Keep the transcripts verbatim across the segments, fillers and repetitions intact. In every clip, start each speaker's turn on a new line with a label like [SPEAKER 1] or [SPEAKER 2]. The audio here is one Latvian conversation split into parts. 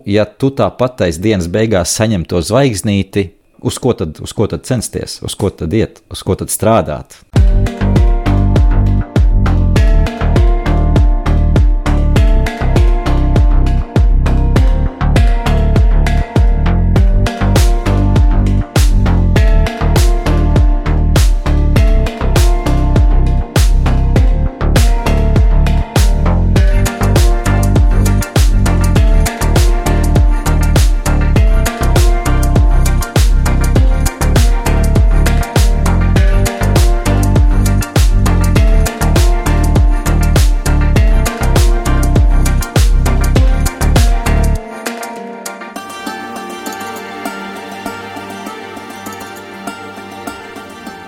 [SPEAKER 1] ja tu tāpat tais dienas beigās saņem to zvaigznīti, uz ko tad, uz ko tad censties, uz ko tad iet, uz ko tad strādāt?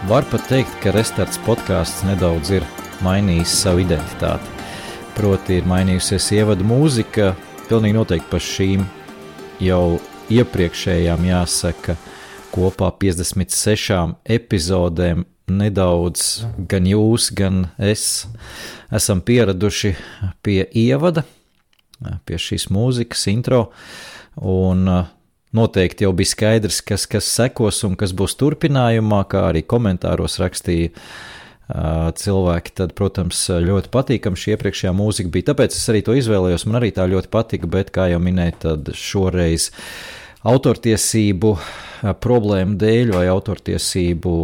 [SPEAKER 1] Var pat teikt, ka Restarts podcasts nedaudz ir mainījis savu identitāti. Proti ir mainījusies ievadu mūzika, pilnīgi noteikti par šīm jau iepriekšējām, jāsaka, kopā piecdesmit sešām epizodēm nedaudz gan jūs, gan es esam pieraduši pie ievada, pie šīs mūzikas intro, un noteikti jau bija skaidrs, kas, kas sekos un kas būs turpinājumā, kā arī komentāros rakstīja uh, cilvēki. Tad, protams, ļoti patīkam šī iepriekšējā mūzika bija, tāpēc es arī to izvēlējos, man arī tā ļoti patika, bet, kā jau minēju, tad šoreiz autortiesību problēmu dēļ vai autortiesību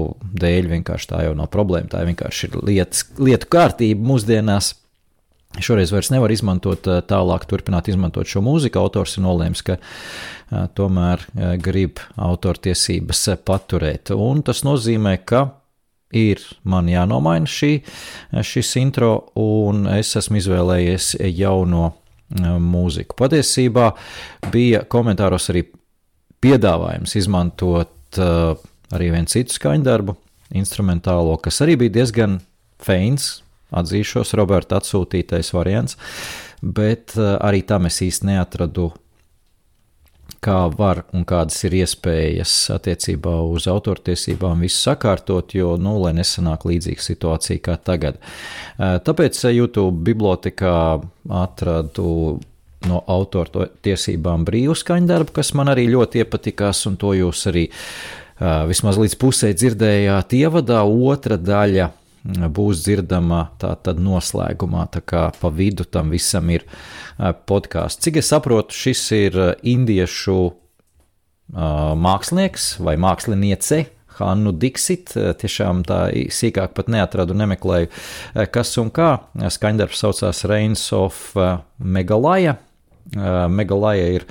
[SPEAKER 1] dēļ vienkārši tā jau nav problēma, tā vienkārši ir lietas, lietu kārtība mūsdienās. Šoreiz vairs nevar izmantot tālāk, turpināt izmantot šo mūziku. Autors ir nolēms, ka a, tomēr a, grib autortiesības paturēt. Un tas nozīmē, ka ir man jānomaina šī, šis intro, un es esmu izvēlējies jauno a, mūziku. Patiesībā bija komentāros arī piedāvājums izmantot a, arī vienu citu skaņdarbu, instrumentālo, kas arī bija diezgan feins, atzīšos, Roberta atsūtītais variants, bet arī tam es īsti neatradu, kā var un kādas ir iespējas attiecībā uz autortiesībām visu sakārtot, jo, nu, lai nesanāk līdzīga situācija kā tagad. Tāpēc YouTube bibliotekā atradu no autortiesībām brīvu skaņdarbu, kas man arī ļoti iepatikās, un to jūs arī vismaz līdz pusē dzirdējāt ievadā. Otra daļa būs dzirdama tā tad noslēgumā, tā kā pa vidu tam visam ir podkāsts. Cik es saprotu, šis ir indiešu mākslinieks vai māksliniece Hannu Diksit, tiešām tā sīkāk pat neatradu, nemeklēju, kas un kā. Skaņdarbs saucās Reigns of Meghalaya. Meghalaya ir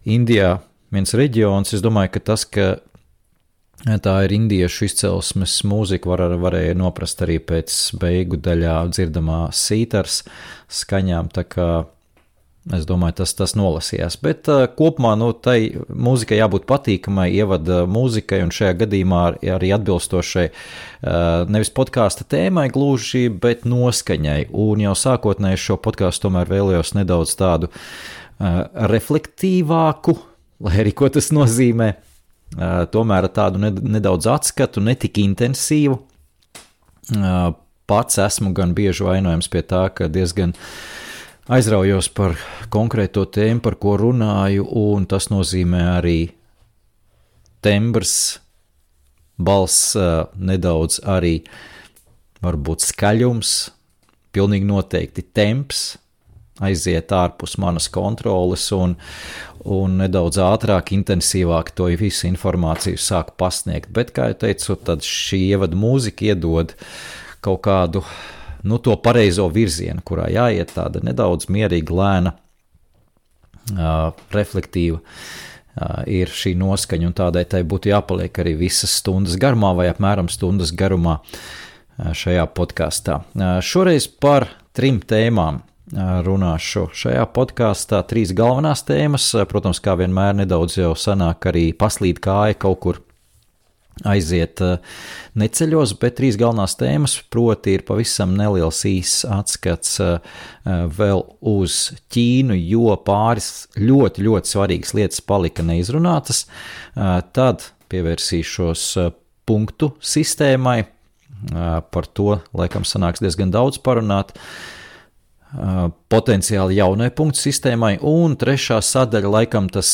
[SPEAKER 1] Indijā viens reģions. Es domāju, ka tas, ka tā ir indiešu izcelsmes mūzika, var, varēja noprast arī pēc beigu daļā dzirdamā sītars skaņām, tā kā es domāju, tas, tas nolasījās. Bet uh, kopumā, nu, tai mūzikai jābūt patīkamai, ievada mūzikai un šajā gadījumā arī atbilstošai uh, nevis podkāsta tēmai gluži, bet noskaņai. Un jau sākotnēji šo podkāstu tomēr vēlējos nedaudz tādu uh, reflektīvāku, lai arī ko tas nozīmē. Uh, tomēr tādu nedaudz atskatu, netik intensīvu. Uh, pats esmu gan bieži vainojams pie tā, ka diezgan aizraujos par konkrēto tēmu, par ko runāju, un tas nozīmē arī tembrs, balss, uh, nedaudz arī varbūt skaļums, pilnīgi noteikti temps, aiziet ārpus manas kontroles un, un nedaudz ātrāk, intensīvāk to visu informāciju sāk pasniegt. Bet, kā jau teicu, tad šī ievada mūzika iedod kaut kādu, nu, to pareizo virzienu, kurā jāiet tāda nedaudz mierīga, lēna, uh, reflektīva uh, ir šī noskaņa, un tādai tai būtu jāpaliek arī visas stundas garumā vai apmēram stundas garumā uh, šajā podkastā. Uh, šoreiz par trim tēmām runāšu šajā podkāstā. Trīs galvenās tēmas, protams, kā vienmēr nedaudz jau sanāk arī paslīd kāja kaut kur aiziet neceļos, bet trīs galvenās tēmas, proti ir pavisam neliels īss atskats vēl uz Ķīnu, jo pāris ļoti, ļoti svarīgas lietas palika neizrunātas. Tad pievērsīšos punktu sistēmai, par to laikam sanāks diezgan daudz parunāt. potenciāli jaunai punktu sistēmai, un trešā sadaļa laikam tas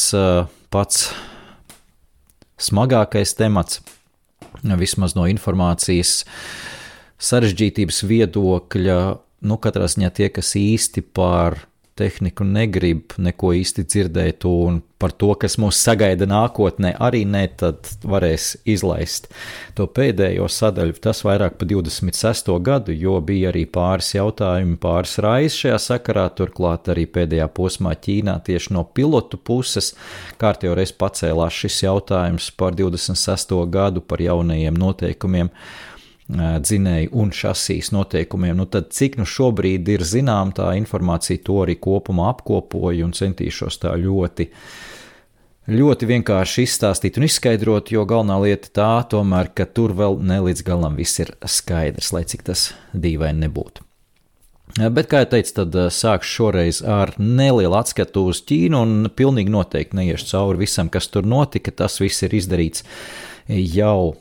[SPEAKER 1] pats smagākais temats, vismaz no informācijas sarežģītības viedokļa, nu katrā ziņā tie, kas īsti par tehniku negrib neko īsti dzirdēt un par to, kas mūs sagaida nākotnē, arī ne, tad varēs izlaist to pēdējo sadaļu, tas vairāk pa divdesmit sesto gadu, jo bija arī pāris jautājumi, pāris raizes šajā sakarā, turklāt arī pēdējā posmā Ķīnā tieši no pilotu puses kārtējo reiz pacēlās šis jautājums par divdesmit sesto gadu, par jaunajiem noteikumiem, dzinēju un šasīs noteikumiem, nu tad cik nu šobrīd ir zinām tā informācija, to arī kopumā apkopoju un centīšos tā ļoti, ļoti vienkārši izstāstīt un izskaidrot, jo galvenā lieta tā tomēr, ka tur vēl ne līdz galam viss ir skaidrs, lai cik tas dīvaini nebūtu. Bet, kā jau teicu, tad sākšu šoreiz ar nelielu atskatu uz Ķīnu un pilnīgi noteikti neiešu cauri visam, kas tur notika, tas viss ir izdarīts jau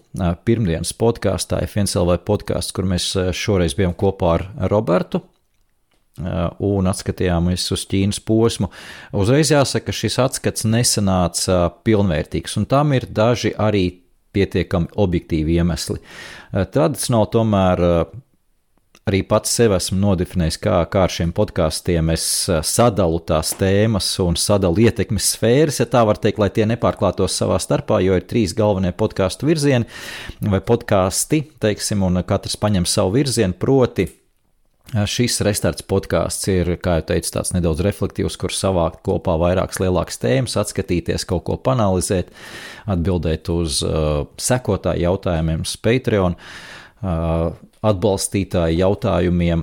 [SPEAKER 1] pirmdienas podkāstā, F viens L V podkāsts, kur mēs šoreiz bijām kopā ar Robertu un atskatījāmies uz Ķīnas posmu. Uzreiz jāsaka, ka šis atskats nesanāca pilnvērtīgs, un tam ir daži arī pietiekami objektīvi iemesli. Tradicionāli tomēr arī pats sev esmu nodefinējis, kā, kā ar šiem podkāstiem es sadalu tās tēmas un sadalu ietekmes sfēras, ja tā var teikt, lai tie nepārklātos savā starpā, jo ir trīs galvenie podkāstu virzieni vai podkāsti, teiksim, un katrs paņem savu virzienu, proti šis restarts podkāsts ir, kā jau teicu, tāds nedaudz reflektīvs, kur savākt kopā vairākas lielākas tēmas, atskatīties, kaut ko panalizēt, atbildēt uz uh, sekotāju jautājumiem uz Patreon, uh, atbalstītāju jautājumiem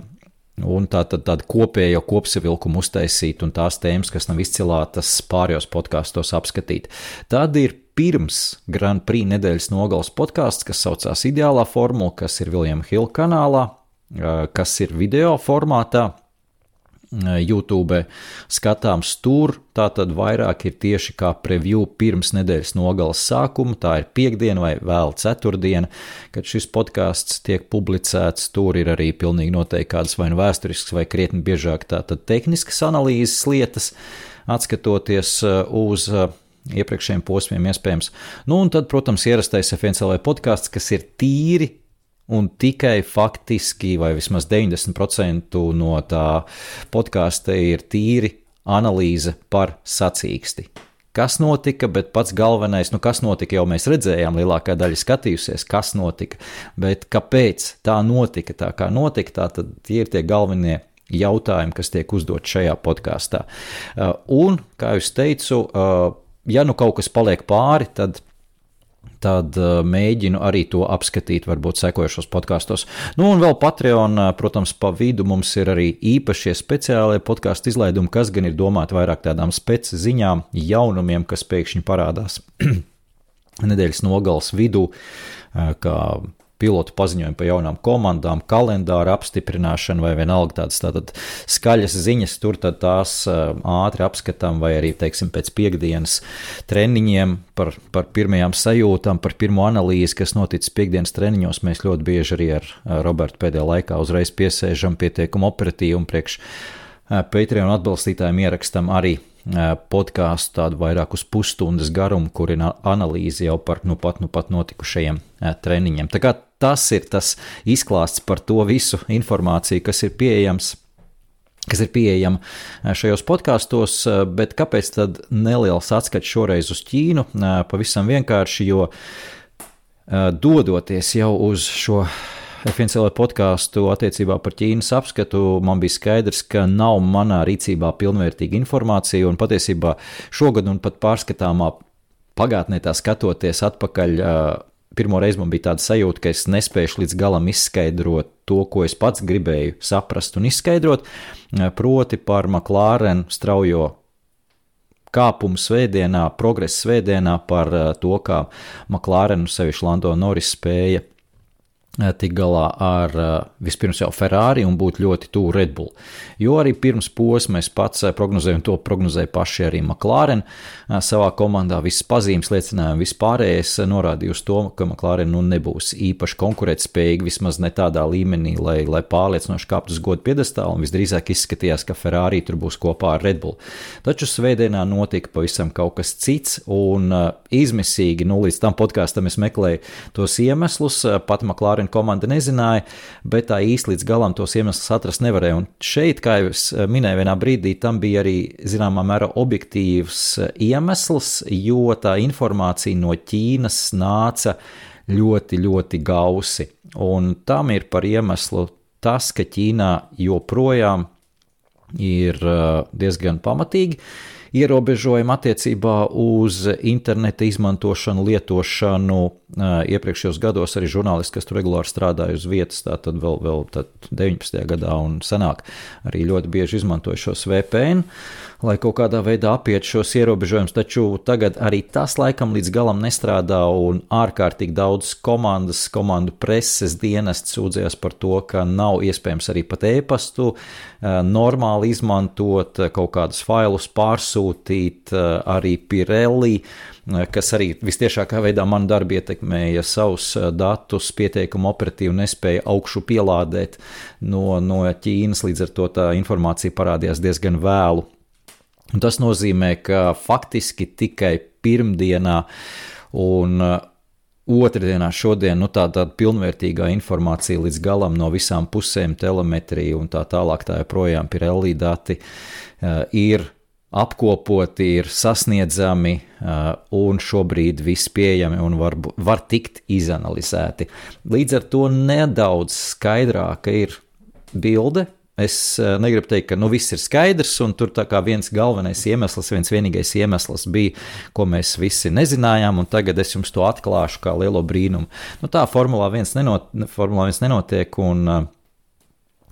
[SPEAKER 1] un tātad tādu kopējo kopsavilkumu uztaisīt un tās tēmas, kas nav izcilātas pārējos podkāstos apskatīt. Tad ir pirms Grand Prix nedēļas nogales podkāsts, kas saucās Ideālā formula, kas ir Viljama Hila kanālā, kas ir video formātā, YouTube skatāms tur, tā tad vairāk ir tieši kā preview pirms nedēļas nogales sākuma, tā ir piekdiena vai vēl ceturtdiena, kad šis podcasts tiek publicēts, tur ir arī pilnīgi noteikti kādas vai nu vēsturisks vai krietni biežāk tātad tehniskas analīzes lietas, atskatoties uz iepriekšējiem posmiem iespējams. Nu un tad, protams, ierastais F viens L V podcasts, kas ir tīri un tikai faktiski, vai vismaz deviņdesmit procenti no tā podkāsta ir tīri analīze par sacīksti. Kas notika, bet pats galvenais, nu kas notika, jau mēs redzējām, lielākā daļa skatījusies, kas notika, bet kāpēc tā notika, tā kā notika, tā tad tie ir tie galvenie jautājumi, kas tiek uzdot šajā podkāstā. Un, kā jūs teicu, ja nu kaut kas paliek pāri, tad tad mēģinu arī to apskatīt varbūt sekojušos podkastos. Nu un vēl Patreon, protams, pa vidu mums ir arī īpašie speciālie podcastu izlaidumi, kas gan ir domāti vairāk tādām spec ziņām, jaunumiem, kas pēkšņi parādās nedēļas nogales vidū, kā pilotu paziņojumi par jaunām komandām, kalendāra apstiprināšana vai vienalga tādas tātad skaļas ziņas, tur tad tās ātri apskatām vai arī, teiksim, pēc piekdienas treniņiem par, par pirmajām sajūtām, par pirmo analīzi, kas noticis piekdienas treniņos. Mēs ļoti bieži arī ar Robertu pēdējā laikā uzreiz piesēžam pietiekumu operatīvu un priekš Patreon atbalstītājiem ierakstam arī podkāstu tādu vairāk uz pusstundas garumu, kur ir analīze jau par nu pat, nu pat notikušajiem treniņiem. Tā kā tas ir tas izklāsts par to visu informāciju, kas ir pieejams, kas ir pieejama šajos podkāstos, bet kāpēc tad neliels atskats šoreiz uz Ķīnu? Pavisam vienkārši, jo dodoties jau uz šo F viens L V podkāstu attiecībā par Ķīnas apskatu, man bija skaidrs, ka nav manā rīcībā pilnvērtīga informācija, un patiesībā šogad un pat pārskatāmā pagātnē tā skatoties atpakaļ, pirmo reizi man bija tāda sajūta, ka es nespēju līdz galam izskaidrot to, ko es pats gribēju saprast un izskaidrot, proti par McLaren straujo kāpumu svētdienā, progresu svētdienā, par to, kā McLaren, sevišķi Lando Norris spēja tik galā ar vispirms jau Ferrari un būt ļoti tuvu Red Bull. Jo arī pirms posma es pats prognozēju, un to prognozēju paši arī McLaren savā komandā, visas pazīmes liecināja, un vispārējais norādīja uz to, ka McLaren nu nebūs īpaši konkurētspējīgi, vismaz ne tādā līmenī, lai, lai pārliecinoši kāptu uz godu piedestālu, un visdrīzāk izskatījās, ka Ferrari tur būs kopā ar Red Bull. Taču svētdienā notika pavisam kaut kas cits, un izmisīgi, nu līdz tam podkāstam es meklēju tos iemeslus, pat McLaren komanda nezināja, bet tā īsti līdz galam tos iemeslus atrast nevarēja. Un šeit, kā jau es minēju vienā brīdī, tam bija arī zināmā mērā objektīvs iemesls, jo tā informācija no Ķīnas nāca ļoti, ļoti gausi. Un tam ir par iemeslu tas, ka Ķīnā joprojām ir diezgan pamatīgi ierobežojumi attiecībā uz interneta izmantošanu, lietošanu. Iepriekšējos gados arī žurnālisti, kas tur regulāri strādāja uz vietas, tātad vēl, vēl tad deviņpadsmitajā gadā un senāk arī ļoti bieži izmantoja šos V P N, lai kaut kādā veidā apietu šos ierobežojumus, taču tagad arī tas laikam līdz galam nestrādā un ārkārtīgi daudz komandas, komandu preses dienests sūdzējās par to, ka nav iespējams arī pat e-pastu normāli izmantot, kaut kādus failus pārsūtīt, arī Pirelli, kas arī vistiešākā veidā manu darbu ietekmēja, savus datus pieteikumu operatīvi nespēja augšu pielādēt no, no Ķīnas, līdz ar to tā informācija parādījās diezgan vēlu. Un tas nozīmē, ka faktiski tikai pirmdienā un otrdienā šodien nu, tā, tāda pilnvērtīgā informācija līdz galam no visām pusēm, telemetrija un tā tālāk, tā joprojām Pirelli dati uh, ir apkopoti, ir sasniedzami uh, un šobrīd viss pieejami un var, var tikt izanalizēti. Līdz ar to nedaudz skaidrāka ir bilde. Es uh, negribu teikt, ka nu, viss ir skaidrs, un tur tā kā viens galvenais iemesls, viens vienīgais iemesls bija, ko mēs visi nezinājām, un tagad es jums to atklāšu kā lielo brīnumu. Nu, tā Formulā viens nenot, Formulā viens nenotiek, un uh,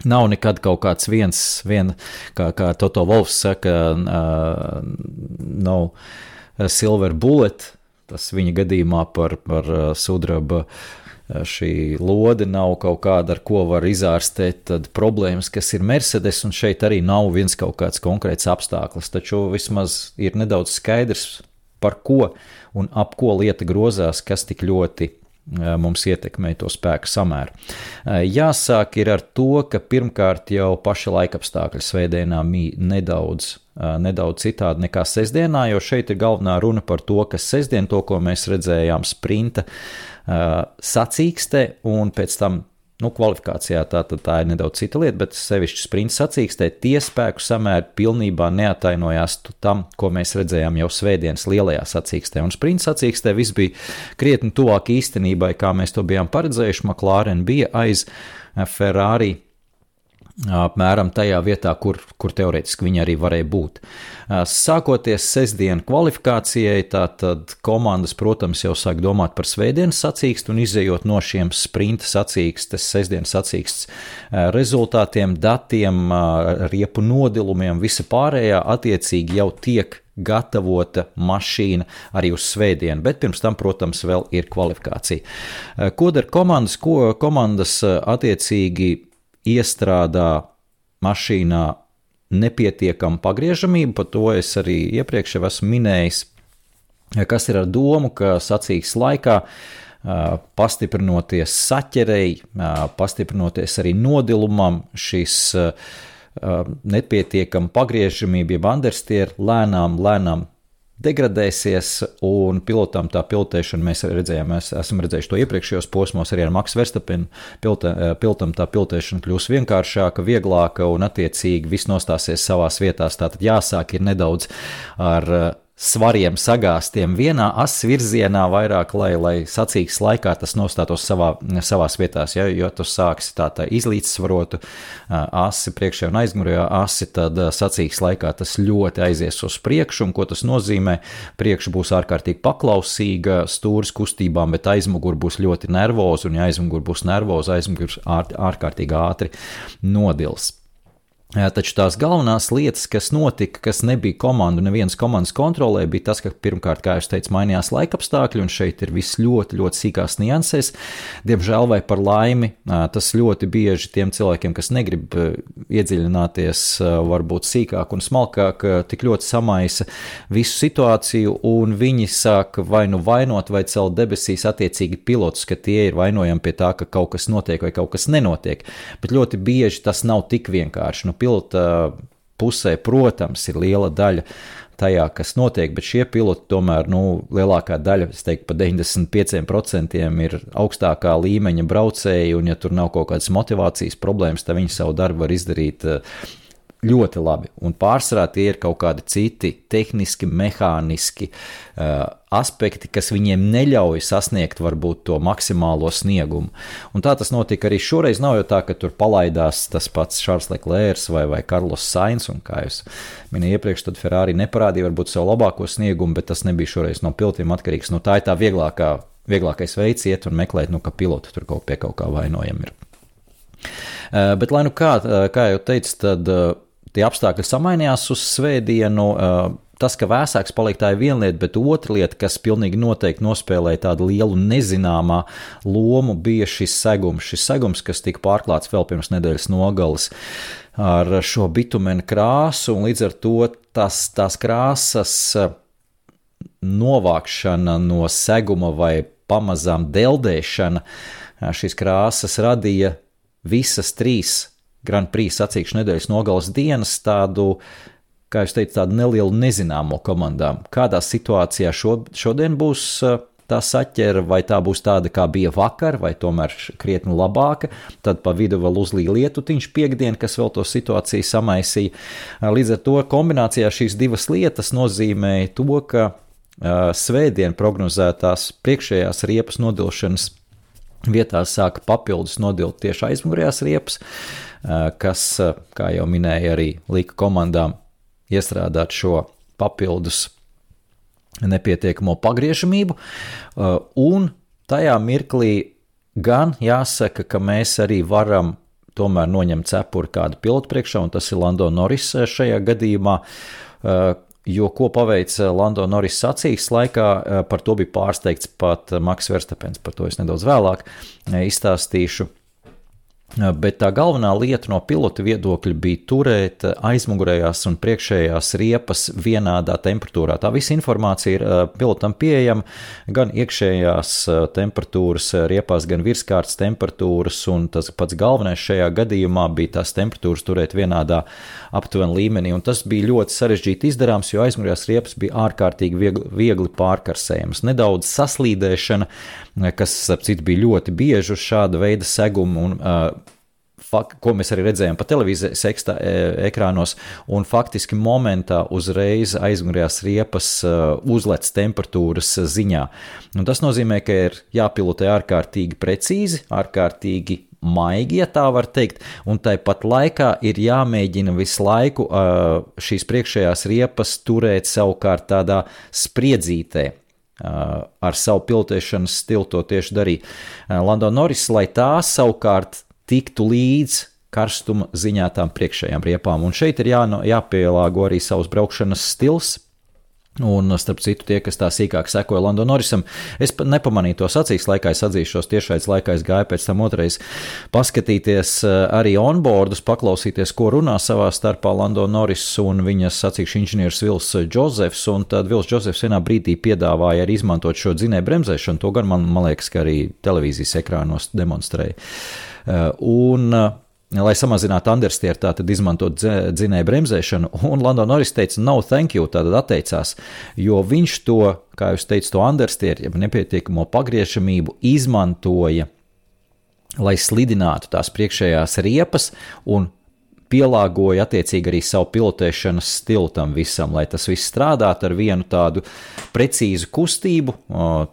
[SPEAKER 1] nav nekad kaut kāds viens, vien, kā, kā Toto Wolffs saka, uh, nav silver bullet, tas viņa gadījumā par, par sudraba šī lode nav kaut kāda, ar ko var izārstēt tad problēmas, kas ir Mercedes, un šeit arī nav viens kaut kāds konkrēts apstākļus, taču vismaz ir nedaudz skaidrs, par ko un ap ko lieta grozās, kas tik ļoti mums ietekmē to spēku samēru. Jāsāk ir ar to, ka pirmkārt jau paši laikapstākļi svētdienā bija nedaudz, nedaudz citādi nekā sestdienā, jo šeit ir galvenā runa par to, ka sestdien to, ko mēs redzējām sprinta sacīkstē, un pēc tam nu, kvalifikācijā tā, tā, tā ir nedaudz cita lieta, bet sevišķi sprinta sacīkstē tie spēku samēri pilnībā neatainojās tam, ko mēs redzējām jau svētdienas lielajā sacīkstē. Un sprinta sacīkstē viss bija krietni tuvāk īstenībai, kā mēs to bijām paredzējuši. McLaren bija aiz Ferrari apmēram tajā vietā, kur, kur teorētiski viņi arī varēja būt. Sākoties sestdienu kvalifikācijai, tātad komandas, protams, jau sāk domāt par svētdienas sacīkstu un izējot no šiem sprinta sacīkstes, sestdienas sacīkstes rezultātiem, datiem, riepu nodilumiem, visa pārējā attiecīgi jau tiek gatavota mašīna arī uz svētdienu, bet pirms tam, protams, vēl ir kvalifikācija. Ko dara komandas? Ko komandas attiecīgi iestrādā mašīnā nepietiekama pagriežamība, par to es arī iepriekš jau esmu minējis, kas ir ar domu, ka sacīkstes laikā pastiprinoties saķerei, pastiprinoties arī nodilumam, šis nepietiekama pagriežamība, jeb understeer lēnām, lēnām degradēsies, un pilotam tā pilotēšana, mēs redzējām, mēs esam redzējuši to iepriekšējos posmos, arī ar Max Verstappen pilotam tā pilotēšana kļūs vienkāršāka, vieglāka, un attiecīgi viss nostāsies savās vietās, tātad jāsāk ir nedaudz ar svariem sagāstiem vienā as virzienā vairāk, lai, lai sacīkstes laikā tas nostātos savā, savās vietās, ja, jo tu sāksi tā, tā izlīdzsvarotu asi priekšējā un aizmugurējā asi, tad sacīkstes laikā tas ļoti aizies uz priekšu, un ko tas nozīmē, priekš būs ārkārtīgi paklausīga stūras kustībām, bet aizmugur būs ļoti nervozi, un ja aizmugur būs nervozi, aizmugur ār, ārkārtīgi ātri nodils. Taču tās galvenās lietas, kas notika, kas nebija komandu, nevienas komandas kontrolē, bija tas, ka pirmkārt, kā jūs teicu, mainījās laikapstākļi, un šeit ir viss ļoti, ļoti sīkās niansēs. Diemžēl vai par laimi, tas ļoti bieži tiem cilvēkiem, kas negrib iedziļināties varbūt sīkāk un smalkāk, tik ļoti samaisa visu situāciju, un viņi sāk vai nu vainot vai celt debesīs attiecīgi pilotus, ka tie ir vainojami pie tā, ka kaut kas notiek vai kaut kas nenotiek. Bet ļoti bieži tas nav tik vienkārši. Nu, pilota pusē, protams, ir liela daļa tajā, kas notiek, bet šie piloti tomēr, nu, lielākā daļa, es teiktu, pa deviņdesmit pieciem procentiem ir augstākā līmeņa braucēji, un ja tur nav kaut kādas motivācijas problēmas, tad viņi savu darbu var izdarīt ļoti labi, un pārsvarā tie ir kaut kādi citi tehniski, mehāniski uh, aspekti, kas viņiem neļauj sasniegt varbūt to maksimālo sniegumu. Un tā tas notika arī šoreiz, nav jau tā, ka tur palaidās tas pats Charles Leclerc vai, vai Carlos Sainz, un kā jūs minēju iepriekš, tad Ferrari neparādīja varbūt savu labāko sniegumu, bet tas nebija šoreiz no pilotiem atkarīgs. Nu, tā ir tā vieglākā, vieglākais veids iet un meklēt, nu, ka pilotu tur kaut pie kaut kā vainojam ir. Uh, bet lai nu kā, kā jau teicu, tad uh, tie apstākļi samainījās uz svētdienu. Tas, ka vēsāks paliek, tā ir viena lieta, bet otra lieta, kas pilnīgi noteikti nospēlēja tādu lielu nezināmā lomu, bija šis segums. Šis segums, kas tika pārklāts vēl pirms nedēļas nogales ar šo bitumena krāsu, un līdz ar to tas, tās krāsas novākšana no seguma vai pamazām deldēšana, šīs krāsas radīja visas trīs Grand Prix sacīkšu nedēļas nogales dienas tādu, kā jūs teicu, tādu nelielu nezināmo komandām. Kādā situācijā šo, šodien būs tā saķera, vai tā būs tāda, kā bija vakar, vai tomēr krietni labāka, tad pa vidu vēl uzlīja lietutiņš piekdien, kas vēl to situāciju samaisīja. Līdz ar to kombinācijā šīs divas lietas nozīmēja to, ka uh, svētdien prognozētās priekšējās riepas nodilšanas vietās sāka papildus nodilt tieši aizmugurējās riepas, kas, kā jau minēja, arī lika komandām iestrādāt šo papildus nepietiekamo pagriežamību, un tajā mirklī gan jāsaka, ka mēs arī varam tomēr noņemt cepuri kādu pilotu priekšā, un tas ir Lando Norris šajā gadījumā, jo ko paveica Lando Norris sacīkstes laikā, par to bija pārsteigts pat Maks Verstapens, par to es nedaudz vēlāk izstāstīšu. Bet tā galvenā lieta no pilota viedokļa bija turēt aizmugurējās un priekšējās riepas vienādā temperatūrā. Tā visa informācija ir pilotam pieejama, gan iekšējās temperatūras riepās, gan virskārtas temperatūras, un tas pats galvenais šajā gadījumā bija tās temperatūras turēt vienādā aptuveni līmenī, un tas bija ļoti sarežģīti izdarāms, jo aizmugurējās riepas bija ārkārtīgi viegli, viegli pārkarsējamas. Nedaudz saslīdēšana, kas, ap citu, bija ļoti bieži uz šāda veida segumu, un Fak, ko mēs arī redzējām pa televīzijas ekstā, e, ekrānos, un faktiski momentā uzreiz aizmugurējās riepas uh, uzlec temperatūras ziņā. Un tas nozīmē, ka ir jāpilotē ārkārtīgi precīzi, ārkārtīgi maigi, ja tā var teikt, un tāpat laikā ir jāmēģina visu laiku uh, šīs priekšējās riepas turēt savukārt tādā spriedzītē. Uh, ar savu pilotēšanas stilu to tieši darīja uh, Lando Norris, lai tā savukārt tiktu līdz karstuma ziņā tām priekšējām riepām. Un šeit ir jā, jāpielāgo arī savs braukšanas stils. Un, starp citu, tie, kas tā sīkāk sekoja Lando Norrisam, es nepamanīju to sacīkstes laikā, es atzīšos tiešais laikā, es gāju pēc tam otrais paskatīties arī onboardus, paklausīties, ko runā savā starpā Lando Norris un viņas sacīkšu inženieris Vils Džozefs, un tad Vils Džozefs vienā brīdī piedāvāja arī izmantot šo dzinēju bremzēšanu, to gan man, man liekas, ka arī televīzijas ekrānos demonstrēja. Un lai samazinātu understeer, tātad izmantot dzinēju bremzēšanu, un Lando Norris teica no thank you, tātad atteicās, jo viņš to, kā jūs teicu, to understeer, ja nepietiekamo pagriežamību izmantoja, lai slidinātu tās priekšējās riepas un pielāgoja attiecīgi arī savu pilotēšanas stilu tam visam, lai tas viss strādātu ar vienu tādu precīzu kustību,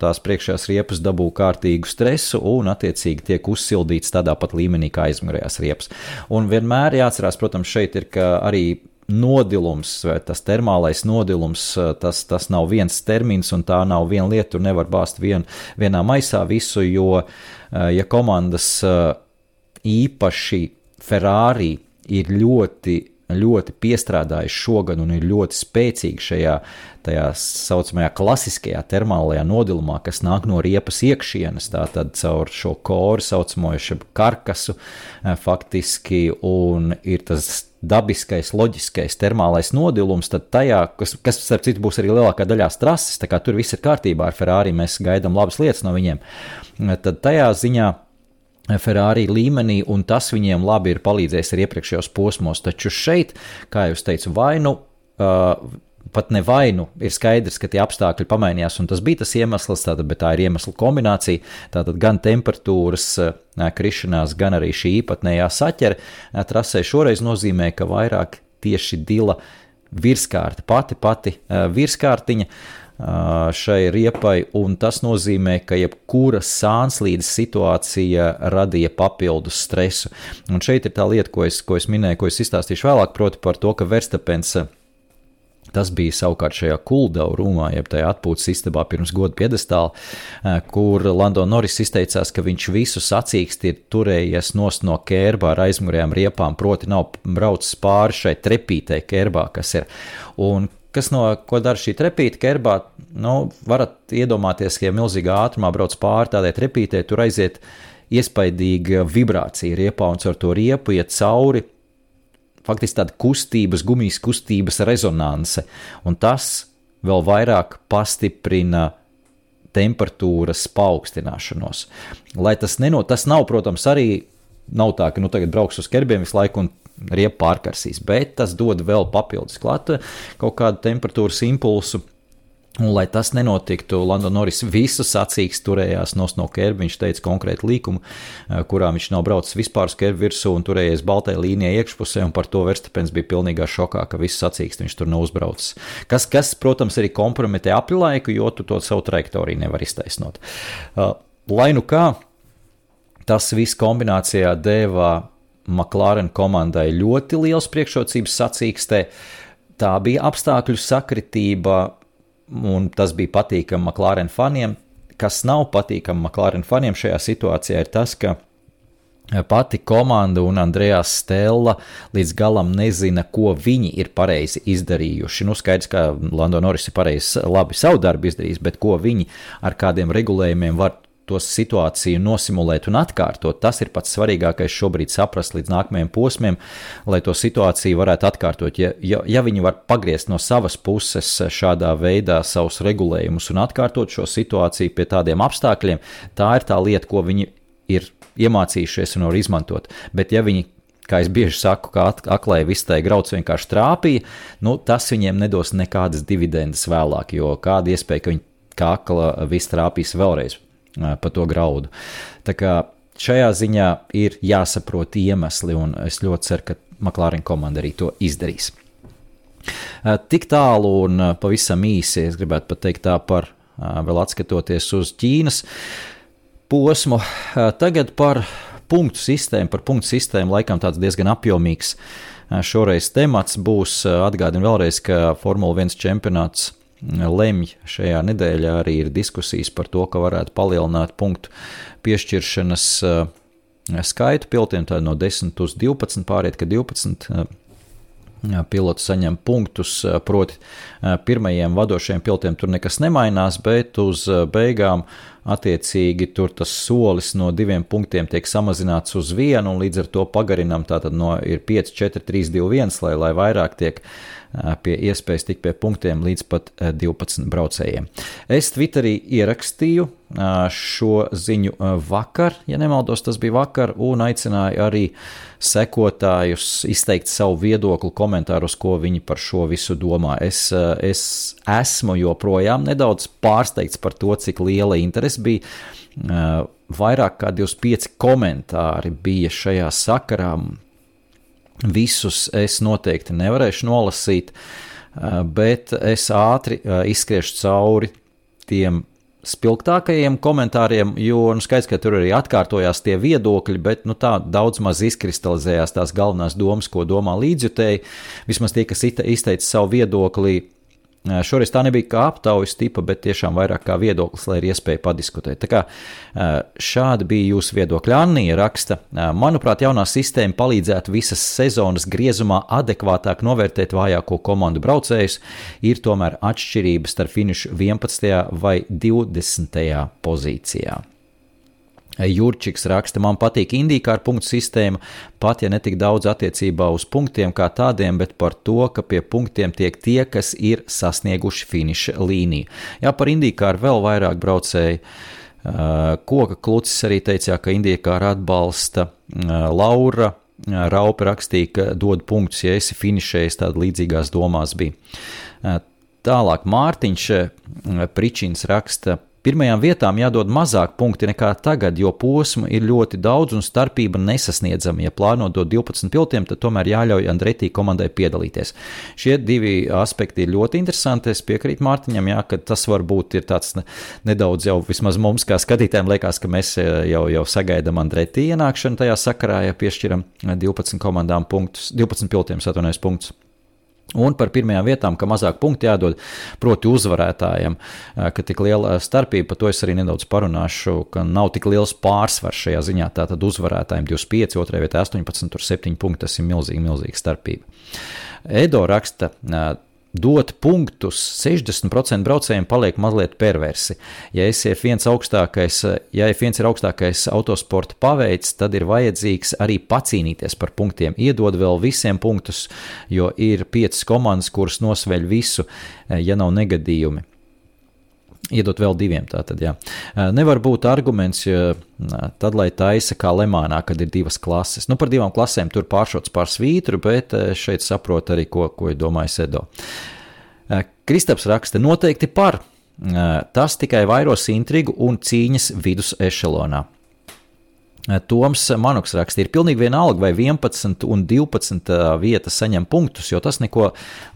[SPEAKER 1] tās priekšējās riepas dabū kārtīgu stresu un attiecīgi tiek uzsildīts tādā pat līmenī kā aizmugurējās riepas. Un vienmēr jāatcerās, protams, šeit ir, ka arī nodilums, vai tas termālais nodilums, tas, tas nav viens termins un tā nav viena lieta, tur nevar bāzt vien, vienā maisā visu, jo ja komandas īpaši Ferrari ir ļoti, ļoti piestrādājuši šogad un ir ļoti spēcīgi šajā tajā saucamajā klasiskajā termālajā nodilumā, kas nāk no riepas iekšienes, tātad caur šo koru saucamo karkasu faktiski, un ir tas dabiskais, loģiskais termālais nodilums, tad tajā, kas, kas starp citu būs arī lielākā daļā trases, tā kā tur viss ir kārtībā ar Ferrari, mēs gaidām labas lietas no viņiem, tad tajā ziņā Ferrari līmenī, un tas viņiem labi ir palīdzējis ar iepriekšējos posmos, taču šeit, kā jūs teicu, vainu, uh, pat ne vainu, ir skaidrs, ka tie apstākļi pamainījās, un tas bija tas iemesls, tātad, bet tā ir iemesla kombinācija, tātad gan temperatūras uh, krišanās, gan arī šī īpatnējā saķere uh, trasē šoreiz nozīmē, ka vairāk tieši dila virskārta, pati pati uh, virskārtiņa, šai riepai, un tas nozīmē, ka jebkura sānslīdes situācija radīja papildus stresu. Un šeit ir tā lieta, ko es, ko es minēju, ko es izstāstīšu vēlāk, proti par to, ka Verstapens, tas bija savukārt šajā Kuldau rūmā, jeb tajā atpūtas istabā pirms goda piedestāla, kur Lando Norris izteicās, ka viņš visu sacīksti ir turējies nost no kērbā ar aizmugurējām riepām, proti nav braucis pāri šai trepītei kērbā, kas ir. Un kas no, ko dara šī trepīta kerbā, nu, varat iedomāties, ka ja milzīgā ātrumā brauc pāri tādai trepītei, tur aiziet iespaidīga vibrācija riepā, un ar to riepu iet cauri faktiski tāda kustības, gumijas kustības rezonanse, un tas vēl vairāk pastiprina temperatūras paaugstināšanos. Lai tas nenot, tas nav, protams, arī nav tā, ka nu tagad brauks uz kerbiem visu laiku un riepa pārkarsīs, bet tas dod vēl papildus klāt kaut kādu temperatūras impulsu, un lai tas nenotiktu, Lando Norris visu sacīks turējās nos no kerba, viņš teica konkrētu līkumu, kurā viņš nav braucis vispār uz kerbu virsū un turējies baltai līnijai iekšpusē, un par to Verstapens bija pilnīgā šokā, ka visu sacīks viņš tur nav uzbraucis. Kas, kas, protams, arī kompromitē apļlaiku, jo tu to savu trajektoriju nevar iztaisnot. Lai nu kā, tas viss kombinācijā deva McLaren komandai ļoti liels priekšrocības sacīkstē, tā bija apstākļu sakritība, un tas bija patīkami McLaren faniem. Kas nav patīkami McLaren faniem šajā situācijā ir tas, ka pati komanda un Andreas Stella līdz galam nezina, ko viņi ir pareizi izdarījuši. Nu, skaidrs, ka Lando Norris ir pareizi labi savu darbu izdarījis, bet ko viņi ar kādiem regulējumiem var to situāciju nosimulēt un atkārtot, tas ir pats svarīgākais šobrīd saprast līdz nākamajiem posmiem, lai to situāciju varētu atkārtot. Ja, ja, ja viņi var pagriezt no savas puses šādā veidā savus regulējumus un atkārtot šo situāciju pie tādiem apstākļiem, tā ir tā lieta, ko viņi ir iemācījušies un var izmantot. Bet ja viņi, kā es bieži saku, kā aklai vistai grauds vienkārši trāpīja, nu, tas viņiem nedos nekādas dividendes vēlāk, jo kāda iespēja, ka viņi kā akla viss trāpīs vēlreiz pa to graudu. Tā kā šajā ziņā ir jāsaprot iemesli, un es ļoti ceru, ka McLaren komanda arī to izdarīs. Tik tālu un pavisam īsi, es gribētu pateikt tā par, vēl atskatoties uz Ķīnas posmu. Tagad par punktu sistēmu, par punktu sistēmu laikam tāds diezgan apjomīgs šoreiz temats būs. Atgādinu vēlreiz, ka Formula viens čempionāts lemj šajā nedēļā, arī ir diskusijas par to, ka varētu palielināt punktu piešķiršanas skaitu pilotiem, tā no desmit uz divpadsmit pāriet, ka divpadsmit piloti saņem punktus, proti pirmajiem vadošajiem pilotiem tur nekas nemainās, bet uz beigām attiecīgi tur tas solis no diviem punktiem tiek samazināts uz vienu, un līdz ar to pagarinam, tātad no ir pieci, četri, trīs, divi, viens, lai, lai vairāk tiek pie iespējas tikt pie punktiem līdz pat divpadsmit braucējiem. Es Twitterī ierakstīju šo ziņu vakar, ja nemaldos, tas bija vakar, un aicināju arī sekotājus izteikt savu viedokli komentāros, ko viņi par šo visu domā. Es, es esmu joprojām nedaudz pārsteigts par to, cik liela interese bija. Vairāk kā divdesmit pieci komentāri bija šajā sakarā. Visus es noteikti nevarēšu nolasīt, bet es ātri izskriešu cauri tiem spilgtākajiem komentāriem, jo nu, skaidrs, ka tur arī atkārtojās tie viedokļi, bet nu, tā daudz maz izkristalizējās tās galvenās domas, ko domā līdzjutēji. Vismaz tie, kas izteica savu viedokli Šoreiz tā nebija kā aptaujas tipa, bet tiešām vairāk kā viedoklis, lai ir iespēja padiskutēt. Tā kā šādi bija jūsu viedokļi. Annija raksta, manuprāt, jaunā sistēma palīdzētu visas sezonas griezumā adekvātāk novērtēt vājāko komandu braucējus, ir tomēr atšķirības starp finišu vienpadsmitajā vai divdesmitajā pozīcijā. Jurčiks raksta, man patīk IndyCar punktu sistēma, pat ja netik daudz attiecībā uz punktiem kā tādiem, bet par to, ka pie punktiem tiek tie, kas ir sasnieguši finiša līniju. Jā, par IndyCar vēl vairāk braucēji. Koka Klucis arī teica, ka IndyCar atbalsta. Laura Raupe rakstīja, ka dod punktus, ja esi finišējis, tāda līdzīgās domās bija. Tālāk Mārtiņš Pričins raksta, pirmajām vietām jādod mazāk punkti nekā tagad, jo posmu ir ļoti daudz un starpība nesasniedzama. Ja plāno dot divpadsmit pilotiem, tad tomēr jāļauj Andretti komandai piedalīties. Šie divi aspekti ir ļoti interesanti. Es piekrītu Mārtiņam, jā, ka tas varbūt ir tāds nedaudz jau vismaz mums kā skatītājiem liekas, ka mēs jau, jau sagaidām Andretti ienākšanu tajā sakarā, ja piešķiram divpadsmit komandām punktus, divpadsmit pilotiem satunies punktus. Un par pirmajām vietām, ka mazāk punkti jādod, proti uzvarētājiem, ka tik liela starpība, par to es arī nedaudz parunāšu, ka nav tik liels pārsvars šajā ziņā, tātad uzvarētājiem divdesmit pieci, otrajā vietā astoņpadsmit, tur septiņi punkti, tas ir milzīgi, milzīga starpība. Edo raksta, dot punktus sešdesmit procenti braucējiem paliek mazliet perversi. Ja F viens augstākais, ja F viens ir augstākais autosporta paveids, tad ir vajadzīgs arī pacīnīties par punktiem. Iedod vēl visiem punktus, jo ir piecas komandas, kuras nosveļ visu, ja nav negadījumi. Iedot vēl diviem tātad, jā. Nevar būt arguments, jo tad, lai taisa kā Lemānā, kad ir divas klases. Nu, par divām klasēm tur pāršots pār svītru, bet šeit saprot arī, ko, ko ir domājis Edo. Kristaps raksta, noteikti par. Tas tikai vairos intrigu un cīņas vidus ešelonā. Toms Manuks raksta, ir pilnīgi vienalga, vai vienpadsmit un divpadsmit vieta saņem punktus, jo tas neko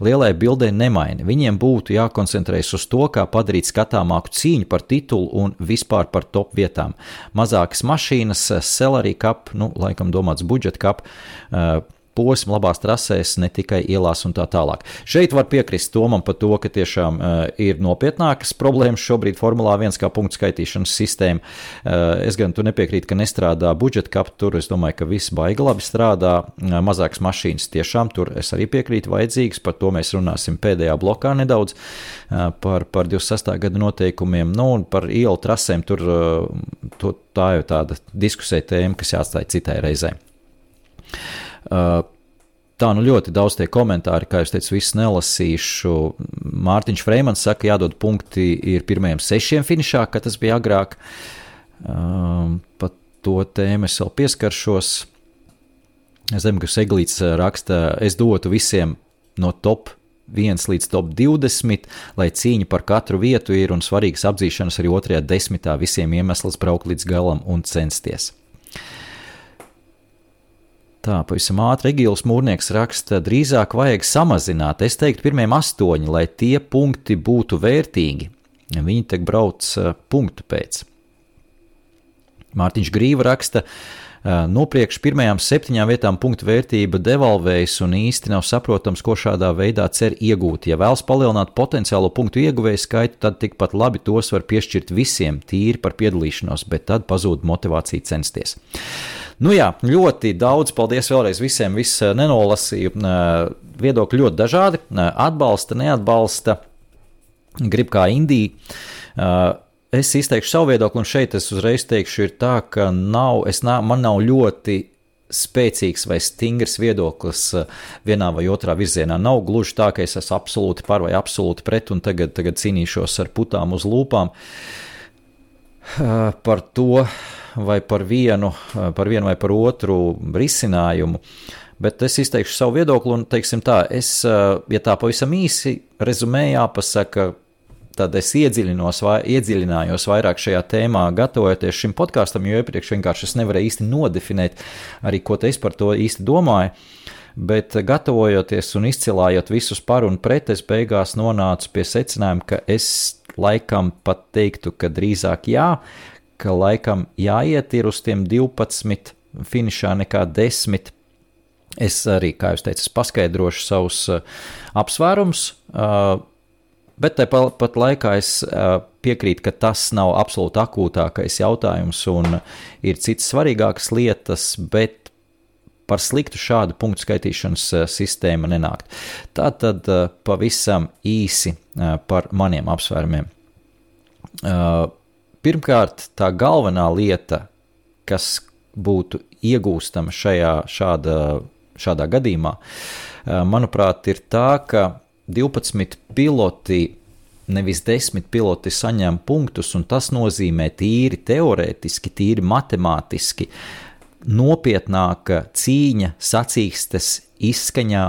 [SPEAKER 1] lielai bildē nemaina. Viņiem būtu jākoncentrējas uz to, kā padarīt skatāmāku cīņu par titulu un vispār par top vietām. Mazākas mašīnas, salary cap, nu, laikam domāts budžeta cap, posmi labās trasēs, ne tikai ielās un tā tālāk. Šeit var piekrist Tomam par to, ka tiešām uh, ir nopietnākas problēmas šobrīd Formulā viens kā punktu skaitīšanas sistēma. Uh, es gan tu nepiekrītu, ka nestrādā budžeta kap, tur es domāju, ka viss baigi labi strādā. Uh, mazākas mašīnas tiešām tur es arī piekrītu vajadzīgas, par to mēs runāsim pēdējā blokā nedaudz, uh, par, par divdesmit sestā gada noteikumiem, nu un par ielu trasēm tur uh, to, tā jau tāda diskusija tēma, kas jāatstāja citai reizē. Uh, tā nu ļoti daudz tie komentāri, kā es teicu, visu nelasīšu. Mārtiņš Freimans saka, jādod punkti ir pirmajiem sešiem finišā, ka tas bija agrāk. Uh, pat to tēmu es vēl pieskaršos. Zemgus Eglīts raksta, es dotu visiem no top viens līdz top divdesmit, lai cīņa par katru vietu ir un svarīgas apdzīšanas arī otrajā desmitā, visiem iemesls braukt līdz galam un censties. Tā, pavisam ātri Egīls Mūrnieks raksta, drīzāk vajag samazināt, es teiktu pirmiem astoņi, lai tie punkti būtu vērtīgi. Viņi te brauc punktu pēc. Mārtiņš Grīva raksta, nopriekš pirmajām septiņām vietām punktu vērtība devalvējas un īsti nav saprotams, ko šādā veidā cer iegūt. Ja vēlas palielināt potenciālo punktu ieguvēju skaitu, tad tikpat labi tos var piešķirt visiem tīri par piedalīšanos, bet tad pazūd motivācija censties. Nu jā, ļoti daudz, paldies vēlreiz visiem, viss nenolasīju, viedokļi ļoti dažādi, atbalsta, neatbalsta, grib kā Indija. Es izteikšu savu viedokli, un šeit es uzreiz teikšu, ir tā, ka nav, es nav, man nav ļoti spēcīgs vai stingrs viedoklis vienā vai otrā virzienā. Nav gluži tā, ka es esmu absolūti par vai absolūti pret, un tagad, tagad cīnīšos ar putām uz lūpām par to, vai par vienu, par vienu vai par otru risinājumu, bet es izteikšu savu viedokli un, teiksim tā, es, ja tā pavisam īsi rezumē jāpasaka, tad es iedziļinos, vai, iedziļinājos vairāk šajā tēmā, gatavojoties šim podkāstam, jo iepriekš vienkārši es nevarēju īsti nodefinēt arī, ko te es par to īsti domāju, bet gatavojoties un izcilājot visus par un pret, es beigās nonācu pie secinājuma, ka es laikam pat teiktu, ka drīzāk jā, ka laikam jāiet ir uz tiem divpadsmit finišā nekā desmit. Es arī, kā jūs teicat, paskaidrošu savus uh, apsvērums. Uh, Bet tāpat laikā es piekrītu, ka tas nav absolūti akūtākais jautājums un ir citas svarīgākas lietas, bet par sliktu šādu punktu skaitīšanas sistēmu nenākt. Tātad pavisam īsi par maniem apsvērumiem. Pirmkārt, tā galvenā lieta, kas būtu iegūstama šajā šāda, šādā gadījumā, manuprāt, ir tā, ka divpadsmit piloti, nevis desmit piloti saņem punktus, un tas nozīmē tīri teorētiski, tīri matemātiski, nopietnāka cīņa sacīkstes izskaņā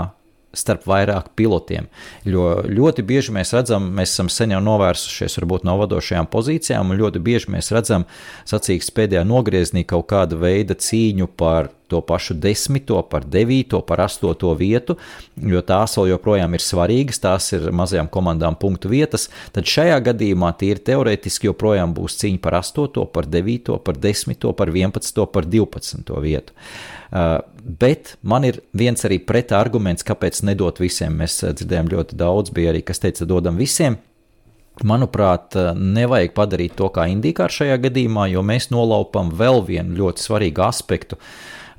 [SPEAKER 1] starp vairāk pilotiem, jo ļoti bieži mēs redzam, mēs esam sen jau novērsušies varbūt no vadošajām pozīcijām, un ļoti bieži mēs redzam sacīkstes pēdējā nogrieznī kaut kāda veida cīņu par to pašu desmito, par devīto, par astoto vietu, jo tās vēl joprojām ir svarīgas, tās ir mazajām komandām punktu vietas, tad šajā gadījumā tīri teorētiski joprojām būs cīņa par astoto, par devīto, par desmito, par vienpadsmito, par divpadsmito vietu. Uh, bet man ir viens arī pretarguments, kāpēc nedot visiem. Mēs dzirdējām ļoti daudz, bija arī, kas teica, dodam visiem. Manuprāt, nevajag padarīt to kā indīkāru šajā gadījumā, jo mēs nolaupam vēl vienu ļoti svarīgu aspektu.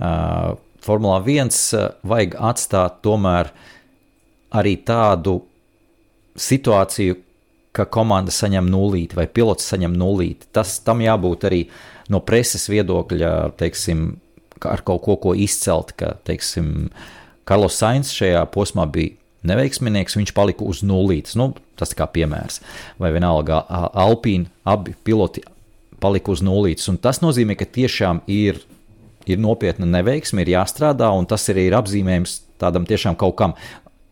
[SPEAKER 1] Uh, Formulā viens vajag atstāt tomēr arī tādu situāciju, ka komanda saņem nulīti vai pilots saņem nulīti. Tas tam jābūt arī no preses viedokļa, teiksim, ar kaut ko, ko izcelt, ka, teiksim, Carlos Sainz šajā posmā bija neveiksminieks, viņš palika uz nulītes, nu, tas kā piemērs, vai vienalga Alpine, abi piloti palika uz nulītes, un tas nozīmē, ka tiešām ir, ir nopietna neveiksme, ir jāstrādā, un tas arī ir apzīmējums tādam tiešām kaut kam.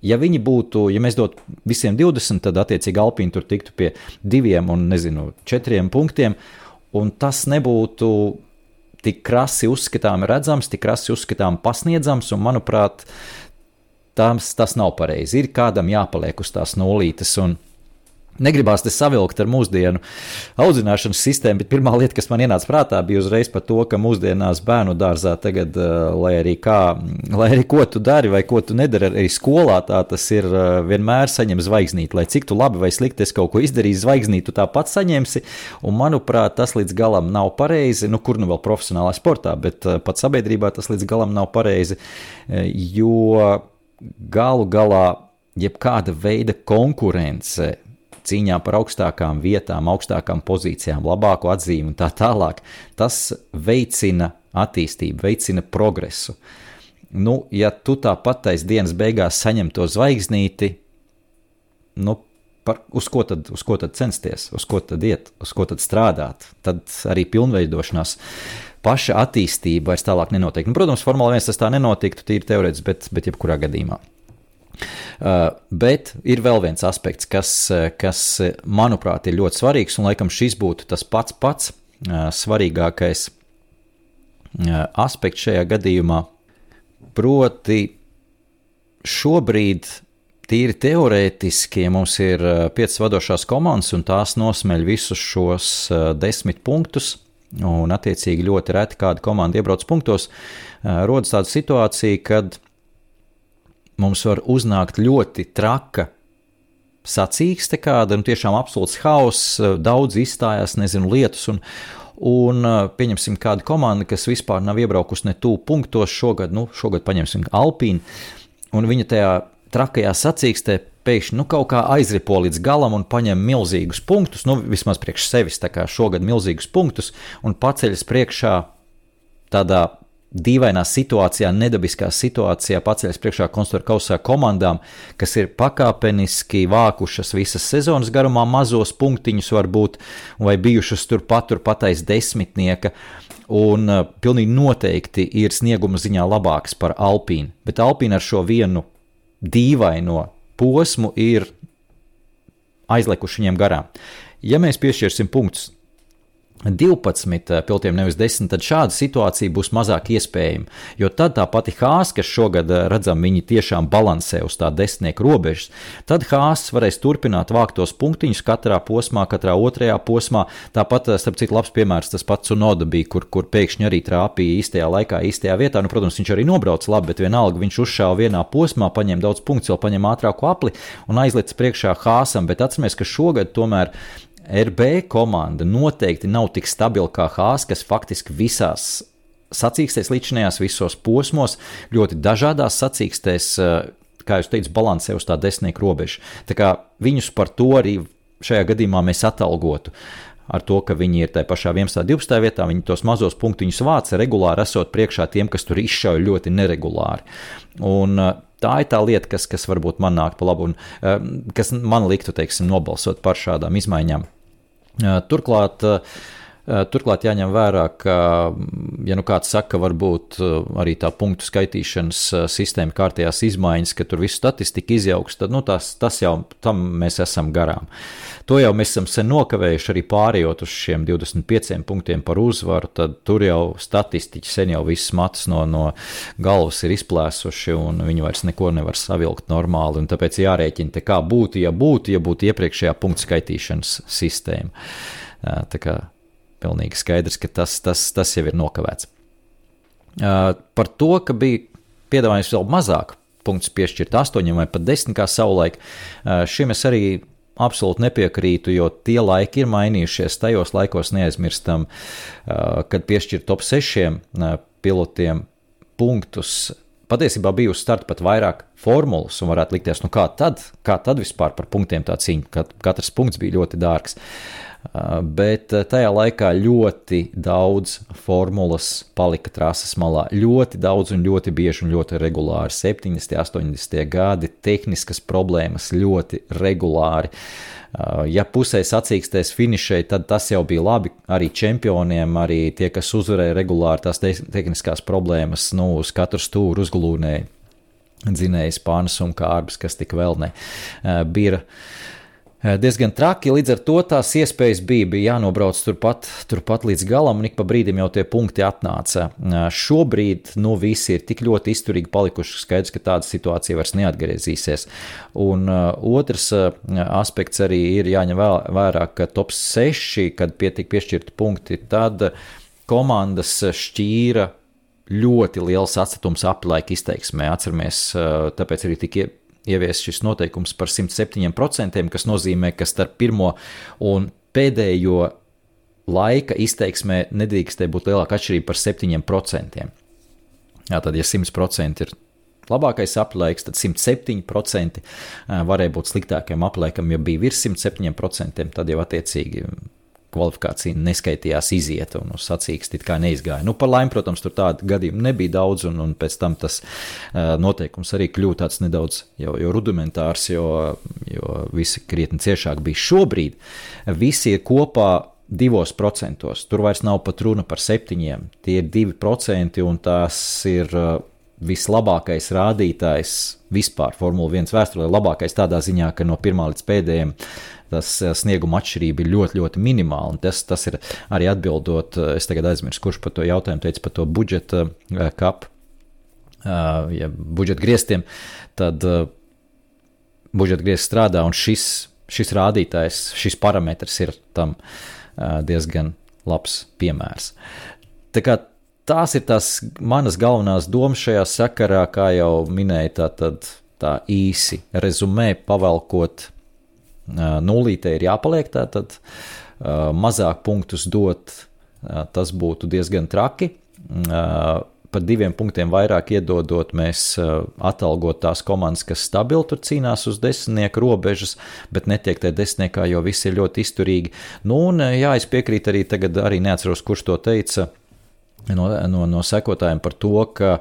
[SPEAKER 1] Ja viņi būtu, ja mēs dotu visiem divdesmit, tad attiecīgi Alpine tur tiktu pie diviem un, nezinu, četriem punktiem, un tas nebūtu tik krasi uzskatām redzams, tik krasi uzskatām pasniedzams, un, manuprāt, tas, tas nav pareizi. Ir kādam jāpaliek uz tās nulītes, un negribās te savilkt ar mūsdienu audzināšanas sistēmu, bet pirmā lieta, kas man ienāca prātā, bija uzreiz par to, ka mūsdienās bērnu dārzā tagad, lai arī, kā, lai arī ko tu dari vai ko tu nedari, arī skolā tā tas ir vienmēr saņem zvaigznīti, lai cik tu labi vai slikti es kaut ko izdarīju, zvaigznīti tu tāpat saņemsi, un manuprāt, tas līdz galam nav pareizi, nu kur nu vēl profesionālā sportā, bet pat sabiedrībā tas līdz galam nav pareizi, jo galu galā jebkāda veida konkurence cīņā par augstākām vietām, augstākām pozīcijām, labāku atzīmi un tā tālāk, tas veicina attīstību, veicina progresu. Nu, ja tu tāpat tais dienas beigās saņem to zvaigznīti, nu, par, uz, ko tad, uz ko tad censties, uz ko tad iet, uz ko tad strādāt, tad arī pilnveidošanās paša attīstība vairs tālāk nenotiek. Nu, protams, Formula viens tas tā nenotiktu, tīri teorētiski, bet, bet jebkurā gadījumā. Uh, bet ir vēl viens aspekts, kas, kas, manuprāt, ir ļoti svarīgs, un laikam šis būtu tas pats pats uh, svarīgākais uh, aspekts šajā gadījumā. Proti, šobrīd tīri teorētiski, ja mums ir uh, piecas vadošās komandas, un tās nosmeļ visus šos uh, desmit punktus, un attiecīgi ļoti reti kāda komanda iebrauc punktos, uh, rodas tāda situācija, kad mums var uznākt ļoti traka sacīkste kāda, un tiešām absolūts hauss, daudz izstājās, nezinu, lietus, un, un pieņemsim kādu komandu, kas vispār nav iebraukusi ne tuvu punktos šogad, nu, šogad paņemsim Alpine, un viņa tajā trakajā sacīkstē pēkšņi, nu, kaut kā aizripo līdz galam un paņem milzīgus punktus, nu, vismaz priekš sevis, tā kā šogad milzīgus punktus, un paceļas priekšā tādā dīvainā situācijā, nedabiskā situācijā paceļas priekšā konstruktūra kausā komandām, kas ir pakāpeniski vākušas visas sezonas garumā mazos punktiņus varbūt, vai bijušas tur patur patais desmitnieka, un uh, pilnīgi noteikti ir snieguma ziņā labāks par Alpine, bet Alpine ar šo vienu dīvaino posmu ir aizlekuši viņiem garām. Ja mēs piešķirsim punktus divpadsmit piltiem, nevis desmit, tad šāda situācija būs mazāk iespējama. Jo tad tā pati Haas, kas šogad redzam, viņi tiešām balansē uz tā desmitnieku robežas, tad Haas varēs turpināt vākt tos punktiņus katrā posmā, katrā otrajā posmā. Tāpat, starp citu, labs piemērs tas pats Tsunoda bija, kur, kur pēkšņi arī trāpīja īstajā laikā, īstajā vietā. Nu, protams, viņš arī nobrauc labi, bet vienalga viņš uzšāva vienā posmā, paņem daudz punktus, vēl paņem ātrāku apli un aizliec priekšā Haasam, bet atceramies, ka šogad tomēr R B komanda noteikti nav tik stabila kā Haas, kas faktiski visās sacīkstēs līdzinājās visos posmos, ļoti dažādās sacīkstēs, kā jūs teicu, balansē uz tā desmitnieku robežu. Tā kā viņus par to arī šajā gadījumā mēs atalgotu. Ar to, ka viņi ir tajā pašā vienpadsmitajā, divpadsmitajā vietā, viņi tos mazos punktiņus vāca regulāri, esot priekšā tiem, kas tur izšauja ļoti neregulāri. Un tā ir tā lieta, kas, kas varbūt man nāk pa labu un kas man liktu, teiksim, nobalsot par šādām izmaiņām. Turklāt, turklāt jāņem vērā, ka, ja nu kāds saka, varbūt arī tā punktu skaitīšanas sistēma kārtējās izmaiņas, ka tur visu statistika izjauks, tad nu, tas, tas jau tam mēs esam garām. To jau mēs esam sen nokavējuši arī pārējot uz šiem divdesmit pieciem punktiem par uzvaru, tad tur jau statistiķi sen jau viss matus no, no galvas ir izplēsuši un viņi vairs neko nevar savilkt normāli, un tāpēc jārēķina, tā kā būtu, ja būtu, ja būtu iepriekšējā punktu skaitīšanas sistēma. Tā kā pilnīgi skaidrs, ka tas, tas, tas jau ir nokavēts. Par to, ka bija piedāvājums vēl mazāk punktus piešķirt astoņiem vai pat desmit kā savulaik, šim es arī absolūti nepiekrītu, jo tie laiki ir mainījušies. Tajos laikos neaizmirstam, kad piešķirt top sešiem pilotiem punktus. Patiesībā bija uz starta pat vairāk formulas un varētu likties, nu kā tad, kā tad vispār par punktiem tā cīņa, kad katrs punkts bija ļoti dārgs. Bet tajā laikā ļoti daudz formulas palika trases malā. Ļoti daudz un ļoti bieži un ļoti regulāri. septiņdesmitie, astoņdesmitie gadi, tehniskas problēmas ļoti regulāri. Ja pusē sacīkstēs finišēja, tad tas jau bija labi arī čempioniem, arī tie, kas uzvarēja regulāri tās tehniskās problēmas, nu, uz katru stūru uzglūnēja dzinējas pānas un kārbas, kas tik vēl ne. Bija diezgan traki, līdz ar to tās iespējas bija, bija jānobrauc turpat, turpat līdz galam, un ik pa brīdim jau tie punkti atnāca. Šobrīd, nu, visi ir tik ļoti izturīgi palikuši, skaidrs, ka tāda situācija vairs neatgriezīsies. Un uh, otrs uh, aspekts arī ir jāņem vērā, ka top seši, kad pietika piešķirti punkti, tad komandas šķīra ļoti liels atstatums aplaika izteiksmē. Atceramies, uh, tāpēc arī tik ievies šis noteikums par simt septiņiem procentiem, kas nozīmē, ka starp pirmo un pēdējo laika izteiksmē nedrīkstē būt lielāka atšķirība par septiņiem procentiem. Jā, tad, ja simt procenti ir labākais aplaiks, tad simt septiņi procenti varēja būt sliktākajam aplaikam, ja bija virs simt septiņiem procentiem, tad jau attiecīgi kvalifikācija neskaitījās iziet un uz sacīksti it kā neizgāja. Nu, par laimi, protams, tur tādu gadījumu nebija daudz, un, un pēc tam tas uh, noteikums arī kļūst tāds nedaudz jau, jau rudimentārs, jo, jo visi krietni ciešāk bija. Šobrīd visi ir kopā divos procentos. Tur vairs nav pat runa par septiņiem. Tie ir divi procenti, un tās ir uh, vislabākais rādītājs vispār Formula viens vēsturē. Labākais tādā ziņā, ka no pirmā līdz pēdējiem tas snieguma atšķirība ir ļoti, ļoti minimāla, un tas, tas ir arī atbildot, es tagad aizmirsu, kurš par to jautājumu teica, par to budžeta kapu, ja budžeta griestiem, tad budžeta griezti strādā, un šis, šis rādītājs, šis parametrs ir tam diezgan labs piemērs. Tā kā tās ir tās manas galvenās domas šajā sakarā, kā jau minēju, tā, tad, tā īsi rezumē pavelkot. Nulītē ir jāpaliek, tātad mazāk punktus dot, tas būtu diezgan traki. Par diviem punktiem vairāk iedodot, mēs atalgot tās komandas, kas stabili tur cīnās uz desmitnieku robežas, bet netiek tajā desmitniekā, jo visi ir ļoti izturīgi. Nu, un jā, es piekrītu arī tagad, arī neatceros, kurš to teica no, no, no sekotājiem par to, ka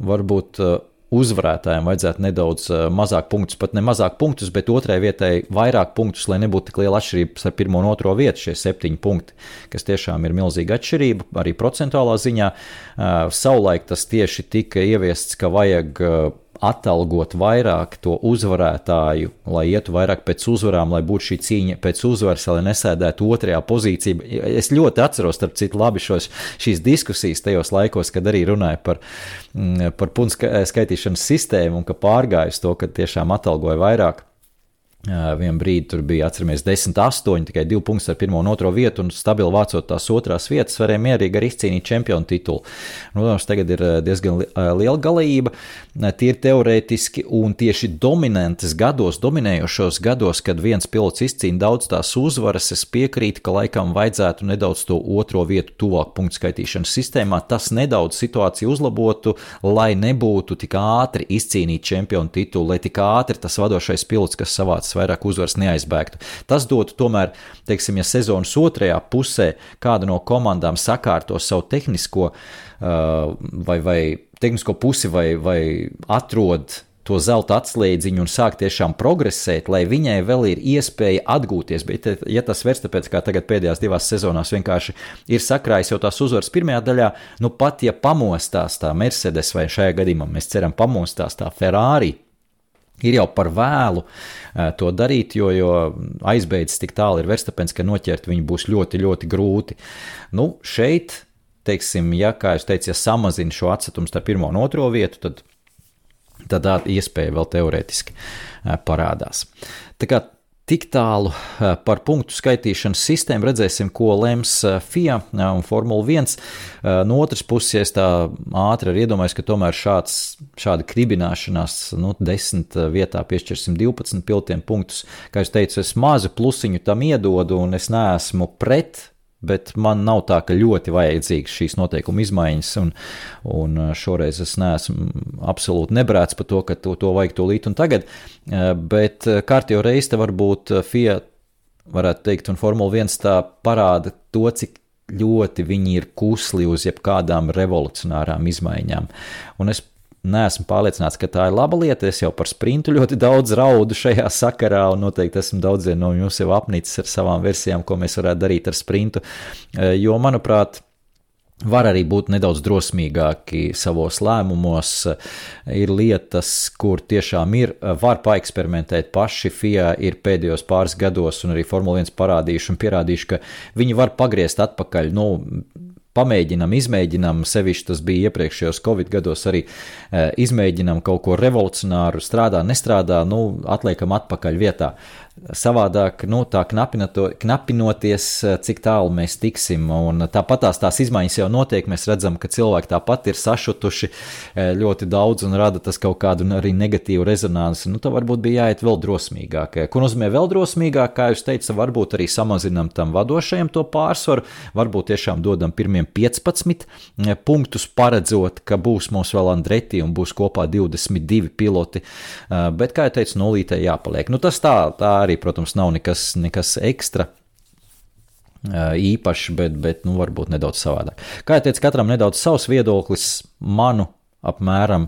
[SPEAKER 1] varbūt uzvarētājiem vajadzētu nedaudz mazāk punktus, pat ne mazāk punktus, bet otrai vietai vairāk punktus, lai nebūtu tik liela atšķirība ar pirmo un otro vietu, šie septiņi punkti, kas tiešām ir milzīga atšķirība, arī procentuālā ziņā. Savulaik tas tieši tika ieviests, ka vajag atalgot vairāk to uzvarētāju, lai ietu vairāk pēc uzvarām, lai būtu šī cīņa pēc uzvaras, lai nesēdētu otrajā pozīcijā. Es ļoti atceros, starp citu, labi šos, šīs diskusijas tajos laikos, kad arī runāja par, par punktu skaitīšanas sistēmu un ka pārgājas to, ka tiešām atalgoja vairāk. Vienu brīdi tur bija, atceramies, desmit astoņi, tikai divi punkti ar pirmo un otro vietu, un stabili vācot tās otrās vietas, varēja mierīgi arī izcīnīt čempionu titulu. Nu, tagad ir diezgan liela galība, tīri teorētiski, un tieši dominantes gados, dominējošos gados, kad viens pilots izcīna daudz tās uzvaras, es piekrītu, ka laikam vajadzētu nedaudz to otro vietu tuvāk punktu skaitīšanas sistēmā. Tas nedaudz situāciju uzlabotu, lai nebūtu tik ātri izcīnīt čempionu titulu, lai tik ātri tas vadošais pilots, kas savāc vairāk uzvaras neaizbēgtu. Tas dotu tomēr, teiksim, ja sezonas otrajā pusē kāda no komandām sakārto savu tehnisko uh, vai, vai tehnisko pusi vai, vai atrod to zelta atslēdziņu un sāk tiešām progresēt, lai viņai vēl ir iespēja atgūties, bet ja tas Verstapens, kā tagad pēdējās divās sezonās vienkārši ir sakrājis jau tās uzvaras pirmajā daļā, nu pat ja pamostās tā Mercedes vai šajā gadījumā mēs ceram pamostās tā Ferrari, ir jau par vēlu to darīt, jo, jo aizbeidzis tik tālu ir Verstapens, ka noķert viņu būs ļoti, ļoti grūti. Nu, šeit, teiksim, ja, kā jūs teicu, ja samazina šo atsetumu starp pirmo un otro vietu, tad, tad tā iespēja vēl teorētiski parādās. Tā kā tik tālu par punktu skaitīšanas sistēmu, redzēsim, ko lems F I A un Formula viens. No otras puses, tā ātri arī iedomājas, ka tomēr šāds, šāda kribināšanās, nu, desmit vietā piešķirsim divpadsmit pilotiem punktus. Kā es teicu, es mazu plusiņu tam iedodu un es neesmu pret, bet man nav tā, ka ļoti vajadzīgas šīs noteikuma izmaiņas, un, un šoreiz es neesmu absolūti nebrēts par to, ka to, to vajag tūlīt un tagad, bet kārtējo reizi te varbūt F I A, varētu teikt, un Formula viens tā parāda to, cik ļoti viņi ir kusli uz jebkādām revolucionārām izmaiņām, un es neesmu pārliecināts, ka tā ir laba lieta. Es jau par sprintu ļoti daudz raudu šajā sakarā, un noteikti esmu daudziem no jums jau apnicis ar savām versijām, ko mēs varētu darīt ar sprintu, jo, manuprāt, var arī būt nedaudz drosmīgāki savos lēmumos. Ir lietas, kur tiešām ir, var paeksperimentēt paši. F I A ir pēdējos pāris gados un arī Formula viens parādījuši un pierādījuši, ka viņi var pagriezt atpakaļ, nu, pamēģinam, izmēģinam, sevišķi tas bija iepriekšējos Covid gados arī, e, izmēģinam kaut ko revolucionāru, strādā, nestrādā, nu, atliekam atpakaļ vietā. Savādāk, nu, tā knapinato, knapinoties, cik tālu mēs tiksim, un tāpatās tās izmaiņas jau notiek, mēs redzam, ka cilvēki tāpat ir sašutuši ļoti daudz un rada tas kaut kādu arī negatīvu rezonansi, nu, tā varbūt bija jāiet vēl drosmīgāk. Ko nozīmē vēl drosmīgāk, kā jūs teicat, varbūt arī samazinam tam vadošajam to pārsvaru, varbūt tiešām dodam pirmiem piecpadsmit punktus, paredzot, ka būs mums vēl Andretti un būs kopā divdesmit divi piloti, bet, kā jau teicu, nulītē jāpaliek. Nu, tas tā, tā arī, protams, nav nekas, nekas ekstra īpaši, bet, bet nu, varbūt nedaudz savādāk. Kā jau teicu, katram nedaudz savs viedoklis, manu apmēram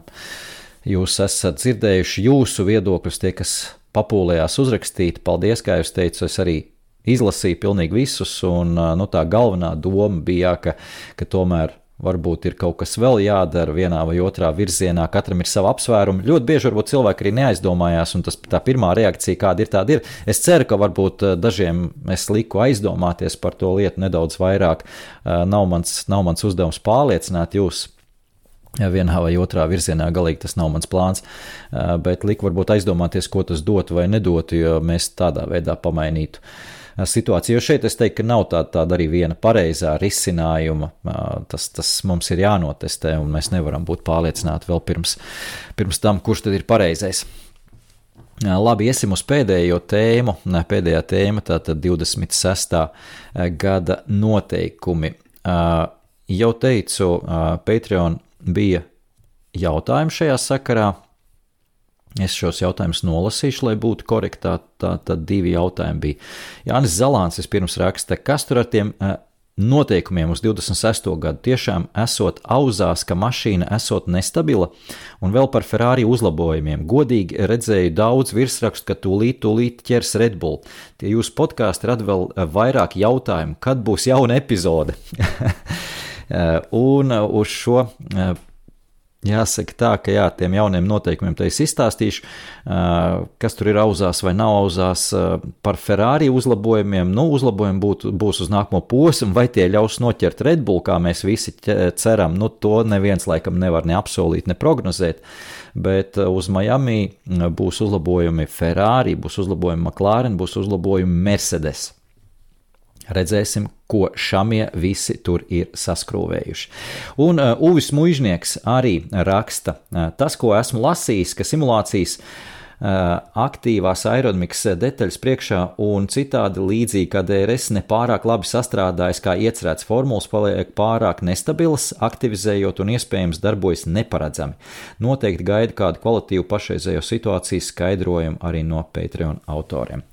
[SPEAKER 1] jūs esat dzirdējuši jūsu viedokļus, tie, kas papūlējās uzrakstīt. Paldies, kā jūs teicu, es arī izlasīju pilnīgi visus, un nu, tā galvenā doma bija, ka, ka tomēr varbūt ir kaut kas vēl jādara vienā vai otrā virzienā, katram ir sava apsvēruma. Ļoti bieži varbūt cilvēki arī neaizdomājās, un tas, tā pirmā reakcija, kāda ir, tāda ir. Es ceru, ka varbūt dažiem es liku aizdomāties par to lietu nedaudz vairāk. Nav mans, nav mans uzdevums pārliecināt jūs vienā vai otrā virzienā, galīgi tas nav mans plāns, bet liku varbūt aizdomāties, ko tas dotu vai nedotu, jo mēs tādā veidā pamainītu situāciju, jo šeit es teiktu, ka nav tāda, tāda arī viena pareizā risinājuma, tas, tas mums ir jānotestē, un mēs nevaram būt pārliecināti vēl pirms, pirms tam, kurš tad ir pareizais. Labi, iesim uz pēdējo tēmu, pēdējā tēma, tātad divdesmit sestā gada noteikumi. Jau teicu, Patreon bija jautājumi šajā sakarā. Es šos jautājumus nolasīšu, lai būtu korektā, tā tad divi jautājumi bija. Jānis Zalāns vispirms raksta, kas tur ar tiem noteikumiem uz divdesmit sesto gadu tiešām esot auzās, ka mašīna esot nestabila, un vēl par Ferrari uzlabojumiem. Godīgi redzēju daudz virsrakstu, ka tūlīt, tūlīt ķers Red Bull. Tie jūsu podkāsti rada vēl vairāk jautājumu, kad būs jauna epizode. Un uz šo Jāsaka tā, ka jā, tiem jauniem noteikumiem te es izstāstīšu, kas tur ir auzās vai nav auzās par Ferrari uzlabojumiem. Nu, uzlabojumi būt, būs uz nākamo posmu, vai tie ļaus noķert Red Bull, kā mēs visi ceram. Nu, to neviens laikam nevar ne apsolīt, ne prognozēt, bet uz Miami būs uzlabojumi Ferrari, būs uzlabojumi McLaren, būs uzlabojumi Mercedes. Redzēsim, ko šamie visi tur ir saskrūvējuši. Un uh, Uvis Muižnieks arī raksta, uh, tas, ko esmu lasījis, ka simulācijas uh, aktīvās aerodinamikas detaļas priekšā un citādi līdzīgi kā D R S nepārāk labi sastrādājas, kā iecerēts formulas paliek pārāk nestabilas, aktivizējot un iespējams darbojas neparedzami. Noteikti gaida kādu kvalitīvu pašreizējo situāciju skaidrojumu arī no Patreon autoriem.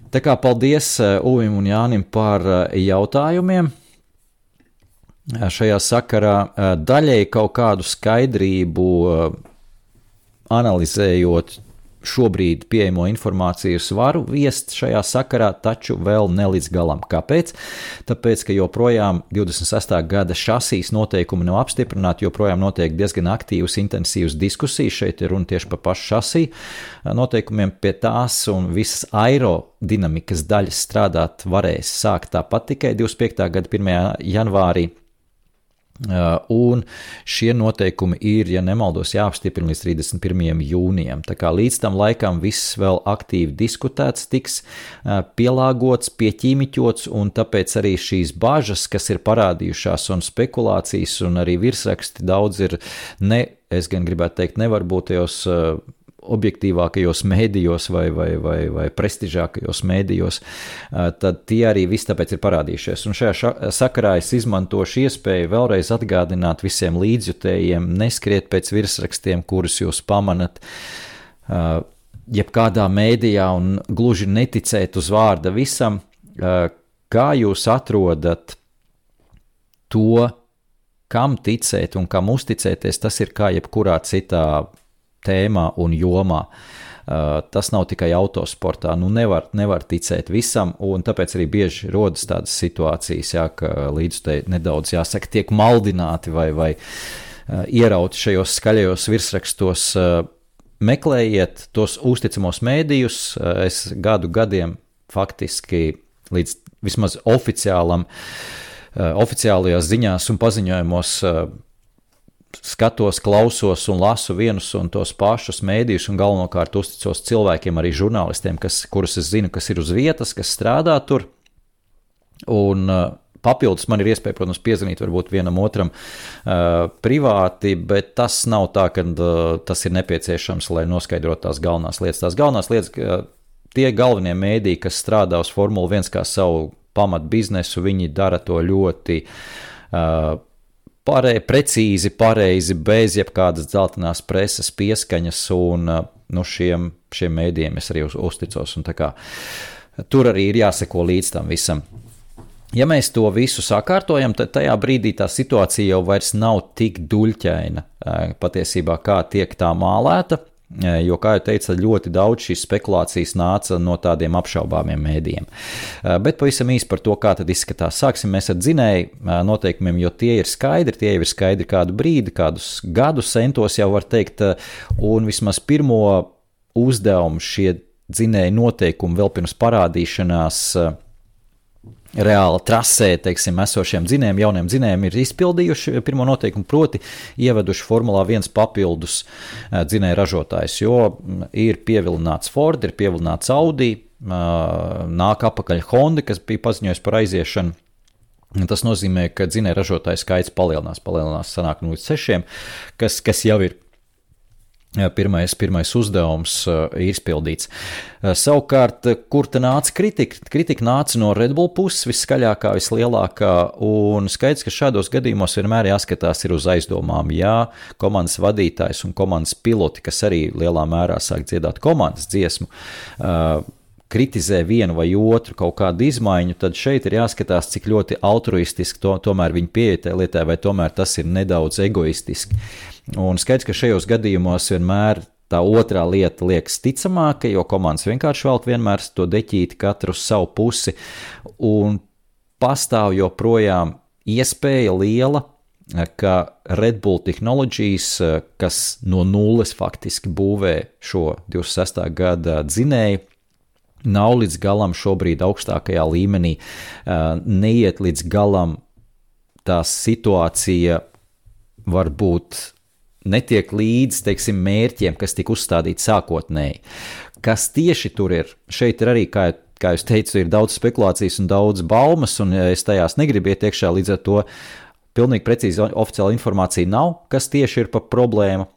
[SPEAKER 1] Tā kā paldies Uvim un Jānim par jautājumiem. Šajā sakarā daļēji kaut kādu skaidrību analizējot šobrīd pieejamo informāciju varu viest šajā sakarā, taču vēl ne līdz galam. Kāpēc? Tāpēc, ka joprojām divdesmit sestā gada šasīs noteikumi nav apstiprināti, joprojām notiek diezgan aktīvas, intensīvas diskusijas, šeit ir runa tieši par pašu šasī noteikumiem, pie tās un visas aerodinamikas daļas strādāt varēs sākt tāpat tikai divdesmit piektā gada pirmajā janvārī. Un šie noteikumi ir, ja nemaldos, jāapstiprina līdz trīsdesmit pirmajam jūnijam. Tā kā līdz tam laikam viss vēl aktīvi diskutēts, tiks pielāgots, pieķīmiķots, un tāpēc arī šīs bažas, kas ir parādījušās, un spekulācijas, un arī virsraksti daudz ir, ne, es gan gribētu teikt, nevarbūt tajos objektīvākajos mēdījos vai, vai, vai, vai prestižākajos mēdījos, tad tie arī viss tāpēc ir parādījušies. Un šajā sakarā es izmantošu iespēju vēlreiz atgādināt visiem līdzjutējiem, neskriet pēc virsrakstiem, kurus jūs pamanat jebkādā mēdījā un gluži neticēt uz vārda visam, kā jūs atrodat to, kam ticēt un kam uzticēties, tas ir kā jebkurā citā tēmā un jomā. Uh, tas nav tikai autosportā, nu nevar, nevar ticēt visam, un tāpēc arī bieži rodas tādas situācijas, jā, ka līdz te nedaudz, jāsaka, tiek maldināti vai, vai uh, ierauti šajos skaļajos virsrakstos. Uh, meklējiet tos uzticamos mēdījus, uh, es gadu gadiem faktiski līdz vismaz oficiālam, uh, oficiālajās ziņās un paziņojumos uh, skatos, klausos un lasu vienus un tos pašus mēdījus un galvenokārt uzticos cilvēkiem, arī žurnālistiem, kas, kurus es zinu, kas ir uz vietas, kas strādā tur. Un uh, papildus man ir iespēja, protams, piezvanīt varbūt vienam otram uh, privāti, bet tas nav tā, ka uh, tas ir nepieciešams, lai noskaidrotu tās galvenās lietas. Tās galvenās lietas, ka tie galvenie mēdīji, kas strādā uz Formulu viens kā savu pamat biznesu, viņi dara to ļoti uh, Pārē, precīzi, pareizi, bez jebkādas dzeltenās preses pieskaņas, un nu, šiem, šiem mēdījiem es arī uz, uzticos. Un tā kā, tur arī ir jāseko līdz tam visam. Ja mēs to visu sakārtojam, tad tajā brīdī tā situācija jau vairs nav tik duļķaina patiesībā, kā tiek tā mālēta. Jo, kā jau teicu, ļoti daudz šīs spekulācijas nāca no tādiem apšaubāmiem mēdījiem. Bet pavisam īsi par to, kā tad izskatās. Sāksim mēs ar dzinēju noteikumiem, jo tie ir skaidri, tie jau ir skaidri kādu brīdi, kādus gadus centos jau var teikt, un vismaz pirmo uzdevumu šie dzinēju noteikumi vēl pirms parādīšanās reāli trasē, teiksim, esošiem dzinējiem, jauniem dzinējiem ir izpildījuši pirmo noteikumu, proti ieveduši Formulā viens papildus dzinēju ražotājs, jo ir pievilināts Ford, ir pievilināts Audi, nāk apakaļ Honda, kas bija paziņojis par aiziešanu. Tas nozīmē, ka dzinēju ražotāju skaits palielinās, palielinās sanāk no līdz sešiem, kas, kas jau ir Pirmais, pirmais uzdevums uh, ir izpildīts. Uh, savukārt, kur te nāca kritika? Kritika nāca no Red Bull puses viskaļākā, vislielākā, un skaidrs, ka šādos gadījumos vienmēr jāskatās ir uz aizdomām. Jā, komandas vadītājs un komandas piloti, kas arī lielā mērā sāk dziedāt komandas dziesmu, uh, kritizē vienu vai otru kaut kādu izmaiņu, tad šeit ir jāskatās, cik ļoti altruistiski to, tomēr viņi pieeja tai lietai, vai tomēr tas ir nedaudz egoistiski. Un skaidrs, ka šajos gadījumos vienmēr tā otrā lieta liekas ticamāka, jo komandas vienkārši velk vienmēr to deķīti katru uz savu pusi, un pastāv joprojām iespēja liela, ka Red Bull Technologies, kas no nulles faktiski būvē šo divdesmit sestā gada dzinēju, nav līdz galam šobrīd augstākajā līmenī, neiet līdz galam tā situācija varbūt netiek līdz, teiksim, mērķiem, kas tika uzstādīti sākotnēji. Kas tieši tur ir? Šeit ir arī, kā, kā jūs teicu, ir daudz spekulācijas un daudz baumas, un es tajās negribu iet iekšā, līdz ar to pilnīgi precīzi oficiāla informācija nav, kas tieši ir pa problēmu,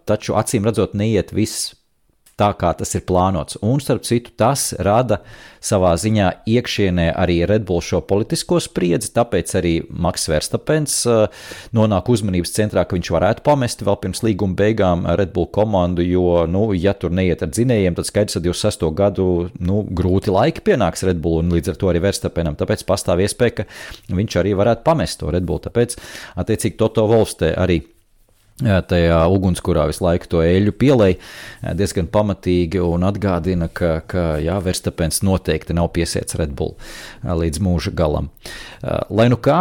[SPEAKER 1] taču acīm redzot neiet viss tā, kā tas ir plānots. Un, starp citu, tas rada savā ziņā iekšienē arī Red Bull šo politisko spriedzi, tāpēc arī Maks Verstapens nonāk uzmanības centrā, ka viņš varētu pamest vēl pirms līguma beigām Red Bull komandu, jo, nu, ja tur neiet ar dzinējiem, tad skaidrs, ka divdesmit sesto gadu, nu, grūti laiki pienāks Red Bull, un līdz ar to arī Verstapenam, tāpēc pastāv iespēja, ka viņš arī varētu pamest to Red Bull, tāpēc, attiecīgi, Toto Wolffs te arī tajā ugunskurā visu laiku to eļļu pielej diezgan pamatīgi un atgādina, ka, ka jā, Verstapens noteikti nav piesiets Red Bull līdz mūža galam. Lai nu kā,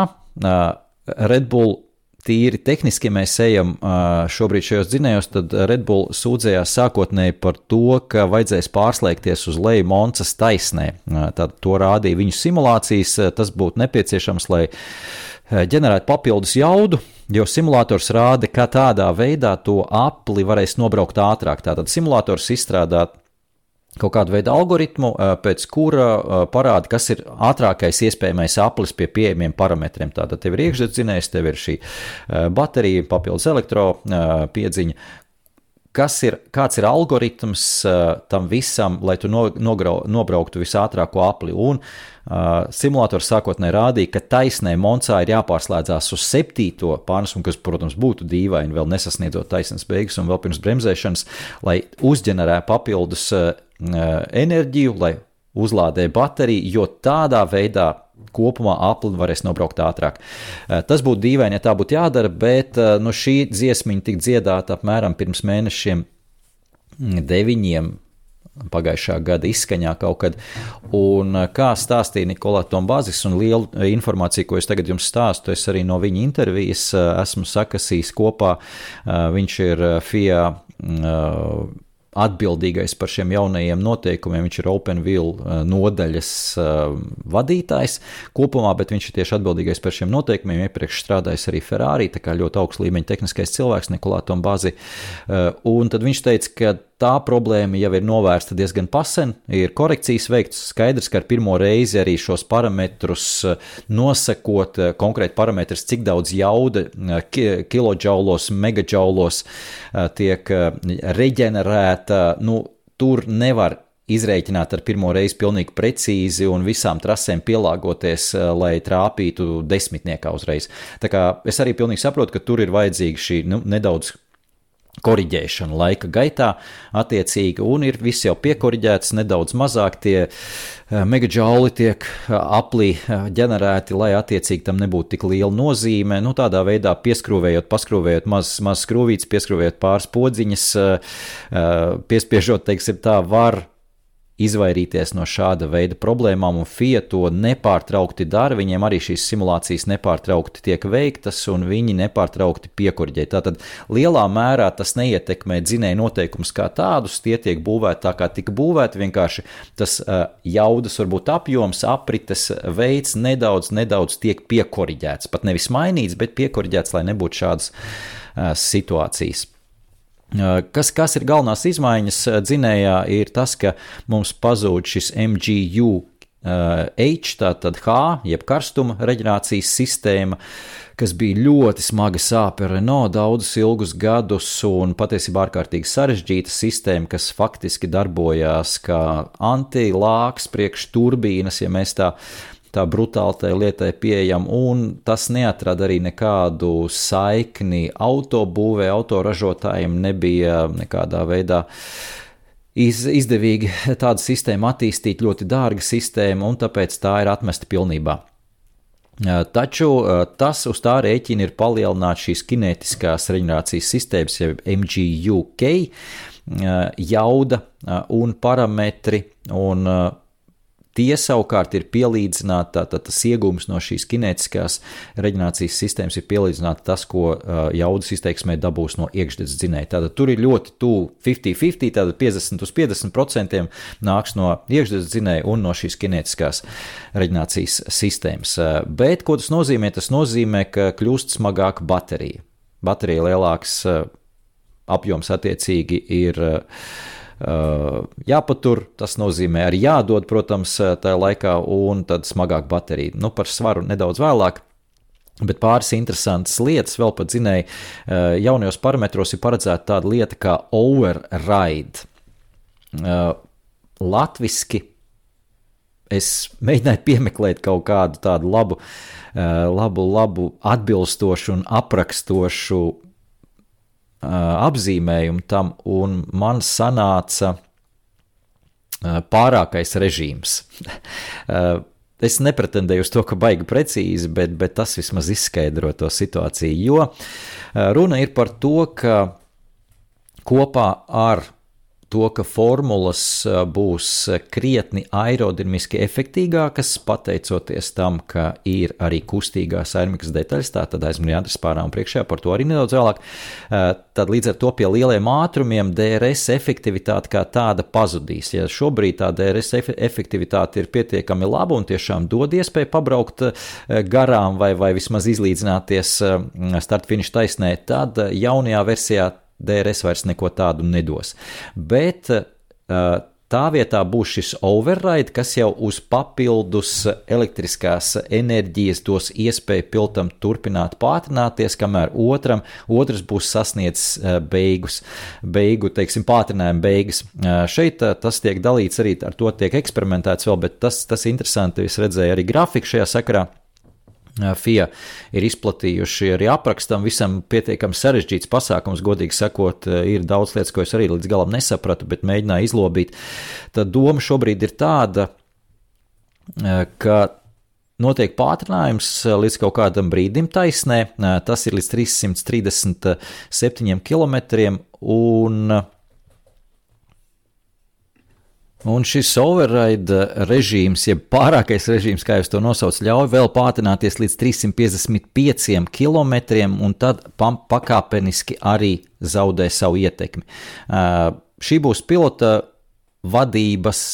[SPEAKER 1] Red Bull tīri tehniski mēs ejam šobrīd šajos dzinējos, tad Red Bull sūdzējās sākotnēji par to, ka vajadzēs pārslēgties uz leju Monsas taisnē. Tad to rādīja viņu simulācijas, tas būtu nepieciešams, lai ģenerētu papildus jaudu, jo simulators rāda, ka tādā veidā to apli varēs nobraukt ātrāk. Tātad simulators izstrādā kaut kādu veidu algoritmu, pēc kura parāda, kas ir ātrākais iespējamais aplis pie pieejamiem parametriem. Tātad tev ir iekšdedzinējs, tev ir šī baterija, papildus elektro piedziņa. Kas ir, kāds ir algoritms tam visam, lai tu nograu, nobrauktu visātrāko apli? Un uh, simulators sākotnēji rādīja, ka taisnē Monsā ir jāpārslēdzās uz septīto pārnesumu, kas, protams, būtu dīvaini, vēl nesasniedzot taisnas beigas un vēl pirms bremzēšanas, lai uzģenerē papildus uh, enerģiju, lai uzlādē bateriju, jo tādā veidā kopumā apli varēs nobraukt ātrāk. Tas būtu dīvaini, ja tā būtu jādara, bet no šī dziesmiņa tika dziedāta apmēram pirms mēnešiem deviņiem pagājušā gada izskaņā kaut kad, un kā stāstīja Nikolā Tombazis, un lielu informāciju, ko es tagad jums stāstu, es arī no viņa intervijas esmu sakasījis kopā, viņš ir F I A atbildīgais par šiem jaunajiem noteikumiem, viņš ir OpenWheel nodaļas vadītājs kopumā, bet viņš ir tieši atbildīgais par šiem noteikumiem, iepriekš strādājis arī Ferrari, tā kā ļoti augsts līmeņa tehniskais cilvēks, Nikolā Tombazi, un tad viņš teica, ka tā problēma jau ir novērsta diezgan pasen, ir korekcijas veikts, skaidrs, ka ar pirmo reizi arī šos parametrus nosakot, konkrēti parametrs, cik daudz jauda kilodžaulos, megadžaulos tiek reģenerēta, nu, tur nevar izrēķināt ar pirmo reizi pilnīgi precīzi un visām trasēm pielāgoties, lai trāpītu desmitniekā uzreiz. Tā kā es arī pilnīgi saprotu, ka tur ir vajadzīga šī, nu, nedaudz koriģēšana laika gaitā attiecīgi, un ir viss jau piekoriģēts, nedaudz mazāk tie megadžauli tiek aplī ģenerēti, lai attiecīgi tam nebūtu tik liela nozīme. Nu, tādā veidā pieskrūvējot, paskrūvējot maz, maz skrūvītes, pieskrūvējot pāris podziņas, piespiežot, teiksim tā, var izvairīties no šāda veida problēmām, un F I A to nepārtraukti dara, viņiem arī šīs simulācijas nepārtraukti tiek veiktas, un viņi nepārtraukti piekoriģē. Tātad lielā mērā tas neietekmē dzinēju noteikumus kā tādus, tie tiek būvēti tā, kā tika būvēti, vienkārši tas uh, jaudas, varbūt apjoms, aprites veids nedaudz, nedaudz tiek piekoriģēts, pat nevis mainīts, bet piekoriģēts, lai nebūtu šādas uh, situācijas. Kas, kas ir galvenās izmaiņas dzinējā, ir tas, ka mums pazūd šis M G U H, tātad H, jeb karstuma reģenerācijas sistēma, kas bija ļoti smaga sāpe Renault daudzus ilgus gadus un patiesībā ārkārtīgi sarežģīta sistēma, kas faktiski darbojās kā antilāks priekš turbīnas, ja mēs tā tā brutāli tai lietai pieejam, un tas neatrada arī nekādu saikni autobūvē, autoražotājiem nebija nekādā veidā iz, izdevīgi tādu sistēmu attīstīt, ļoti dārga sistēma, un tāpēc tā ir atmesta pilnībā. Taču tas uz tā rēķina ir palielināt šīs kinētiskās reģenerācijas sistēmas, ja M G U K, jauda un parametri, un Tie savukārt ir pielīdzināti, tātad tas iegūms no šīs kinētiskās reģenerācijas sistēmas ir pielīdzināti tas, ko uh, jaudas izteiksmē dabūs no iekšdedz dzinēja. Tātad tur ir ļoti tuvu piecdesmit piecdesmit, tātad piecdesmit uz piecdesmit procentiem nāks no iekšdedz dzinēja un no šīs kinētiskās reģenerācijas sistēmas. Uh, bet, ko tas nozīmē? Tas nozīmē, ka kļūst smagāka baterija. Baterija lielāks uh, apjoms attiecīgi ir uh, Uh, jāpatur, tas nozīmē arī jādod, protams, tajā laikā, un tad smagāk baterija. Nu, par svaru nedaudz vēlāk, bet pāris interesantas lietas vēl pat dzinēja. Uh, jaunajos parametros ir paredzēta tāda lieta kā override. Uh, latviski es mēģināju piemeklēt kaut kādu tādu labu, uh, labu, labu atbilstošu un aprakstošu apzīmējumu tam, un man sanāca pārākais režīms. Es nepretendēju uz to, ka baigi precīzi, bet, bet tas vismaz izskaidro to situāciju, jo runa ir par to, ka kopā ar to, ka formulas būs krietni aerodinamiski efektīgākas, pateicoties tam, ka ir arī kustīgās aerodinamikas detaļas, tā tad aizmugurējā adres pārā un priekšējā, par to arī nedaudz vēlāk, tad līdz ar to pie lieliem ātrumiem D R S efektivitāte kā tāda pazudīs. Ja šobrīd tā D R S efektivitāte ir pietiekami laba un tiešām dod iespēju pabraukt garām vai, vai vismaz izlīdzināties start-finiša taisnē, tad jaunajā versijā D R S vairs neko tādu nedos. Bet tā vietā būs šis override, kas jau uz papildus elektriskās enerģijas dos iespēju piltam turpināt pātrināties, kamēr otram, otrs būs sasniedzis beigus, beigu, teiksim, pātrinājuma beigas. Šeit tas tiek dalīts arī, ar to tiek eksperimentēts vēl, bet tas, tas interesanti, es redzēju arī grafiku šajā sakarā. F I A ir izplatījuši arī aprakstam, visam pietiekami sarežģīts pasākums, godīgi sakot, ir daudz lietas, ko es arī līdz galam nesapratu, bet mēģināju izlobīt. Tad doma šobrīd ir tāda, ka notiek pātrinājums līdz kaut kādam brīdim taisnē, tas ir līdz trīssimt trīsdesmit septiņiem kilometriem, un Un šis override režīms, jeb pārākais režīms, kā jūs to nosauc, ļauj vēl pātrināties līdz trīssimt piecdesmit pieciem kilometriem, un tad pakāpeniski arī zaudē savu ietekmi. Uh, šī būs pilota vadības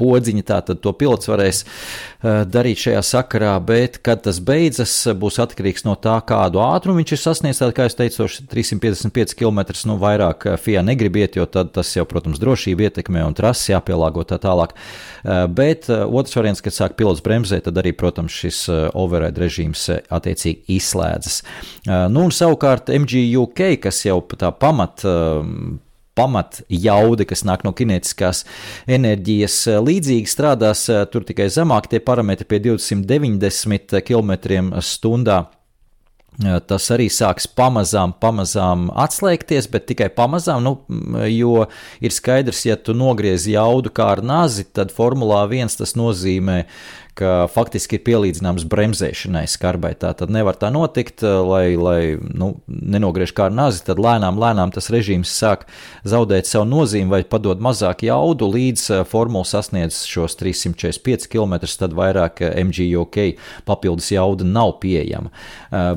[SPEAKER 1] podziņa, tātad to pilots varēs uh, darīt šajā sakarā, bet, kad tas beidzas, būs atkarīgs no tā, kādu ātrumu viņš ir sasniedzis. Tātad, kā es teicu, trīssimt piecdesmit pieci kilometri, nu vairāk F I A negrib iet, jo tad tas jau, protams, drošība ietekmē un trases jāpielāgo tā tālāk. Uh, bet uh, otrs variants, kad sāk pilots bremzēt, tad arī, protams, šis uh, override režīms uh, attiecīgi izslēdzas. Uh, nu un savukārt M G U K, kas jau tā pamat uh, pamat jauda, kas nāk no kinētiskās enerģijas, līdzīgi strādās, tur tikai zemāk tie parametri pie divsimt deviņdesmit kilometriem stundā. Tas arī sāks pamazām, pamazām atslēgties, bet tikai pamazām, nu, jo ir skaidrs, ja tu nogriez jaudu kā ar nazi, tad Formulā viens tas nozīmē, ka faktiski ir pielīdzināms bremzēšanai skarbai. Tā tad nevar tā notikt, lai, lai nu, nenogriež kā ar nazi, tad lēnām, lēnām tas režīms sāk zaudēt savu nozīmi vai padod mazāk jaudu, līdz Formula sasniedz šos trīssimt četrdesmit pieci kilometri, tad vairāk M G U K papildus jauda nav pieejama.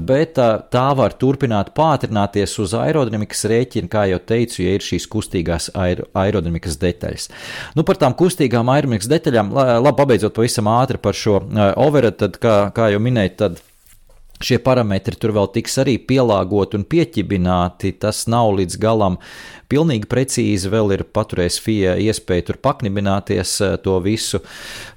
[SPEAKER 1] Bet tā, tā var turpināt pātrināties uz aerodinamikas rēķina, kā jau teicu, ja ir šīs kustīgās aer, aerodinamikas detaļas. Nu, par tām kustīgām aerodinamikas detaļām, labi, pabeidzot pavisam ātri par šo override, tad, kā, kā jau minēju, tad šie parametri tur vēl tiks arī pielāgot un pieķibināti, tas nav līdz galam pilnīgi precīzi, vēl ir paturējis F I A iespēju tur paknibināties to visu,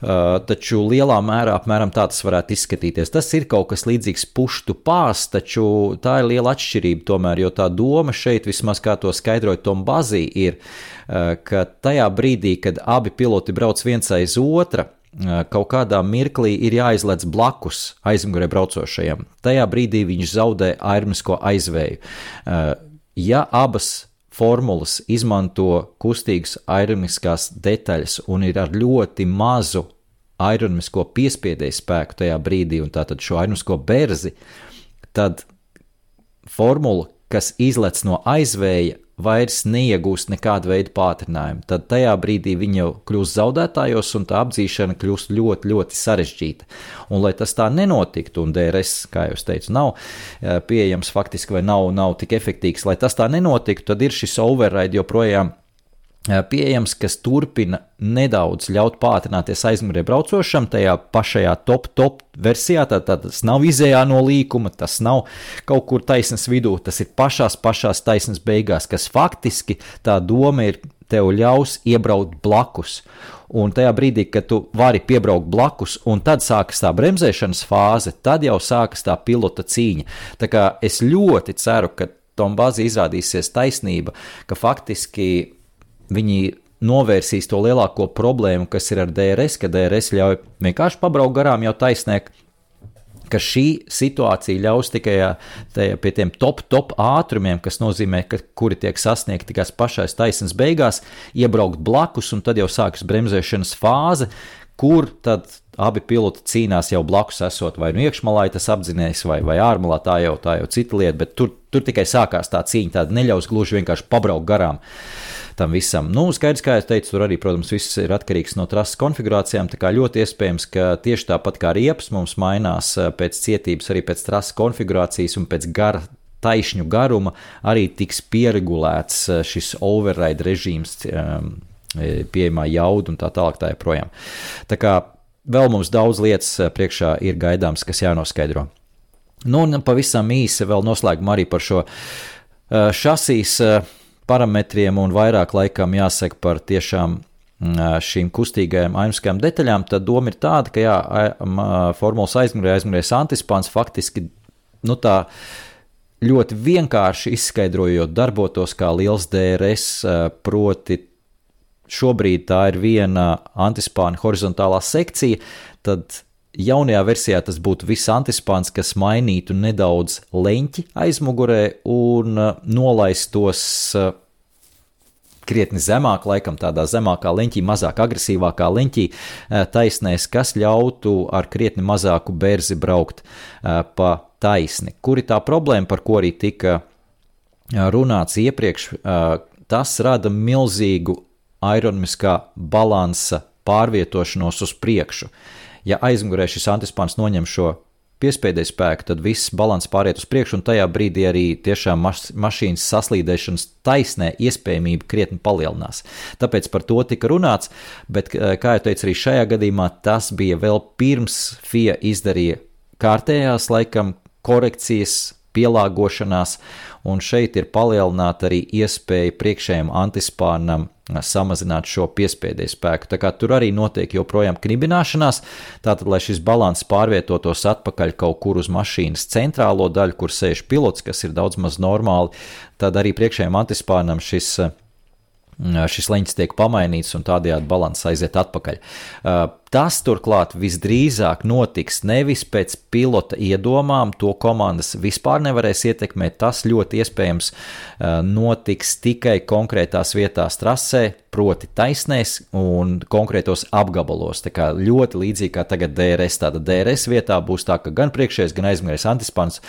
[SPEAKER 1] taču lielā mērā apmēram tā tas varētu izskatīties. Tas ir kaut kas līdzīgs push to pass, taču tā ir liela atšķirība tomēr, jo tā doma šeit, vismaz kā to skaidroja Tom Bazī, ir, ka tajā brīdī, kad abi piloti brauc viens aiz otra, kaut kādā mirklī ir jāizlec blakus aizmugurē braucošajam. Tajā brīdī viņš zaudē aerodinamisko aizvēju. Ja abas formulas izmanto kustīgas aerodinamiskās detaļas un ir ar ļoti mazu aerodinamisko piespiedēju spēku tajā brīdī un tātad šo aerodinamisko berzi, tad formula kas izlec no aizvēja, vairs neiegūst nekādu veidu pātrinājumu. Tad tajā brīdī viņi jau kļūst zaudētājos un tā apdzīšana kļūst ļoti, ļoti sarežģīta. Un lai tas tā nenotiktu, un D R S, kā jau es teicu, nav pieejams faktiski vai nav, nav tik efektīvs, lai tas tā nenotiktu, tad ir šis override joprojām pieejams, kas turpina nedaudz ļaut pātrināties aizmugurē braucošam, tajā pašajā top, top versijā, tātad tas nav izējā no līkuma, tas nav kaut kur taisnes vidū, tas ir pašās, pašās taisnes beigās, kas faktiski tā doma ir tev ļaus iebraukt blakus. Un tajā brīdī, kad tu vari piebraukt blakus, un tad sākas tā bremzēšanas fāze, tad jau sākas tā pilota cīņa. Tā kā es ļoti ceru, ka Tom Bazī izrādīsies taisnība, ka faktiski viņi novērsīs to lielāko problēmu, kas ir ar D R S, ka D R S ļauj vienkārši pabraukt garām jau taisnē, ka šī situācija ļaus tikai tajā, pie tiem top, top ātrumiem, kas nozīmē, ka kuri tiek sasniegti tikai pašais taisnes beigās, iebraukt blakus, un tad jau sākas bremzēšanas fāze, kur tad abi piloti cīnās jau blakus esot, vai nu iekšmalā tas apdzinējs, vai, vai ārmalā, tā jau, tā jau cita lieta, bet tur, tur tikai sākās tā cīņa, tāda neļaus gluži vienkārši pabraukt garām tam visam. Nu, skaidrs, kā es teicu, tur arī, protams, viss ir atkarīgs no trases konfigurācijām, tā kā ļoti iespējams, ka tieši tāpat kā riepas mums mainās pēc cietības, arī pēc trases konfigurācijas un pēc gara taišņu garuma arī tiks pieregulēts šis override režīms, pieejamā jauda un tā tālāk tā joprojām. Tā kā vēl mums daudz lietas priekšā ir gaidāms, kas jānoskaidro. Nu, un pavisam īsi vēl noslēgumā arī par šo šasīs parametriem un vairāk laikam jāsaka par tiešām šīm kustīgajām aerodinamiskajām detaļām, tad doma ir tāda, ka jā, formulas aizmugurē, aizmugurējais antispāns faktiski, nu tā ļoti vienkārši izskaidrojot darbotos kā liels D R S, proti šobrīd tā ir viena antispāna horizontālā sekcija, tad jaunajā versijā tas būtu viss antispāns, kas mainītu nedaudz leņķi aizmugurē un nolaistos krietni zemāk, laikam tādā zemākā leņķī, mazāk agresīvākā leņķī taisnēs, kas ļautu ar krietni mazāku berzi braukt pa taisni. Kur ir tā problēma, par ko arī tika runāts iepriekš, tas rada milzīgu aerodinamiskā balansa pārvietošanos uz priekšu. Ja aizmugurē šis antispāns noņem šo piespēdēju spēku, tad viss balans pāriet uz priekšu, un tajā brīdī arī tiešām maš mašīnas saslīdēšanas taisnē iespējamība krietni palielinās. Tāpēc par to tika runāts, bet, kā jau teicu, arī šajā gadījumā tas bija vēl pirms F I A izdarīja kārtējās, laikam, korekcijas, pielāgošanās, un šeit ir palielināta arī iespēja priekšējiem antispānam samazināt šo piespēdēju spēku. Tā kā tur arī notiek joprojām knibināšanās, tātad, lai šis balans pārvietotos atpakaļ kaut kur uz mašīnas centrālo daļu, kur sēž pilots, kas ir daudz maz normāli, tad arī priekšējiem antispānam šis, šis leņķis tiek pamainīts un tādējādi balans aiziet atpakaļ. Tas turklāt visdrīzāk notiks nevis pēc pilota iedomām, to komandas vispār nevarēs ietekmēt, tas ļoti iespējams notiks tikai konkrētās vietās trasē, proti taisnēs un konkrētos apgabalos. Tā kā ļoti līdzīgi kā tagad D R S, tāda D R S vietā būs tā, ka gan priekšējais, gan aizmugurējais antispāns,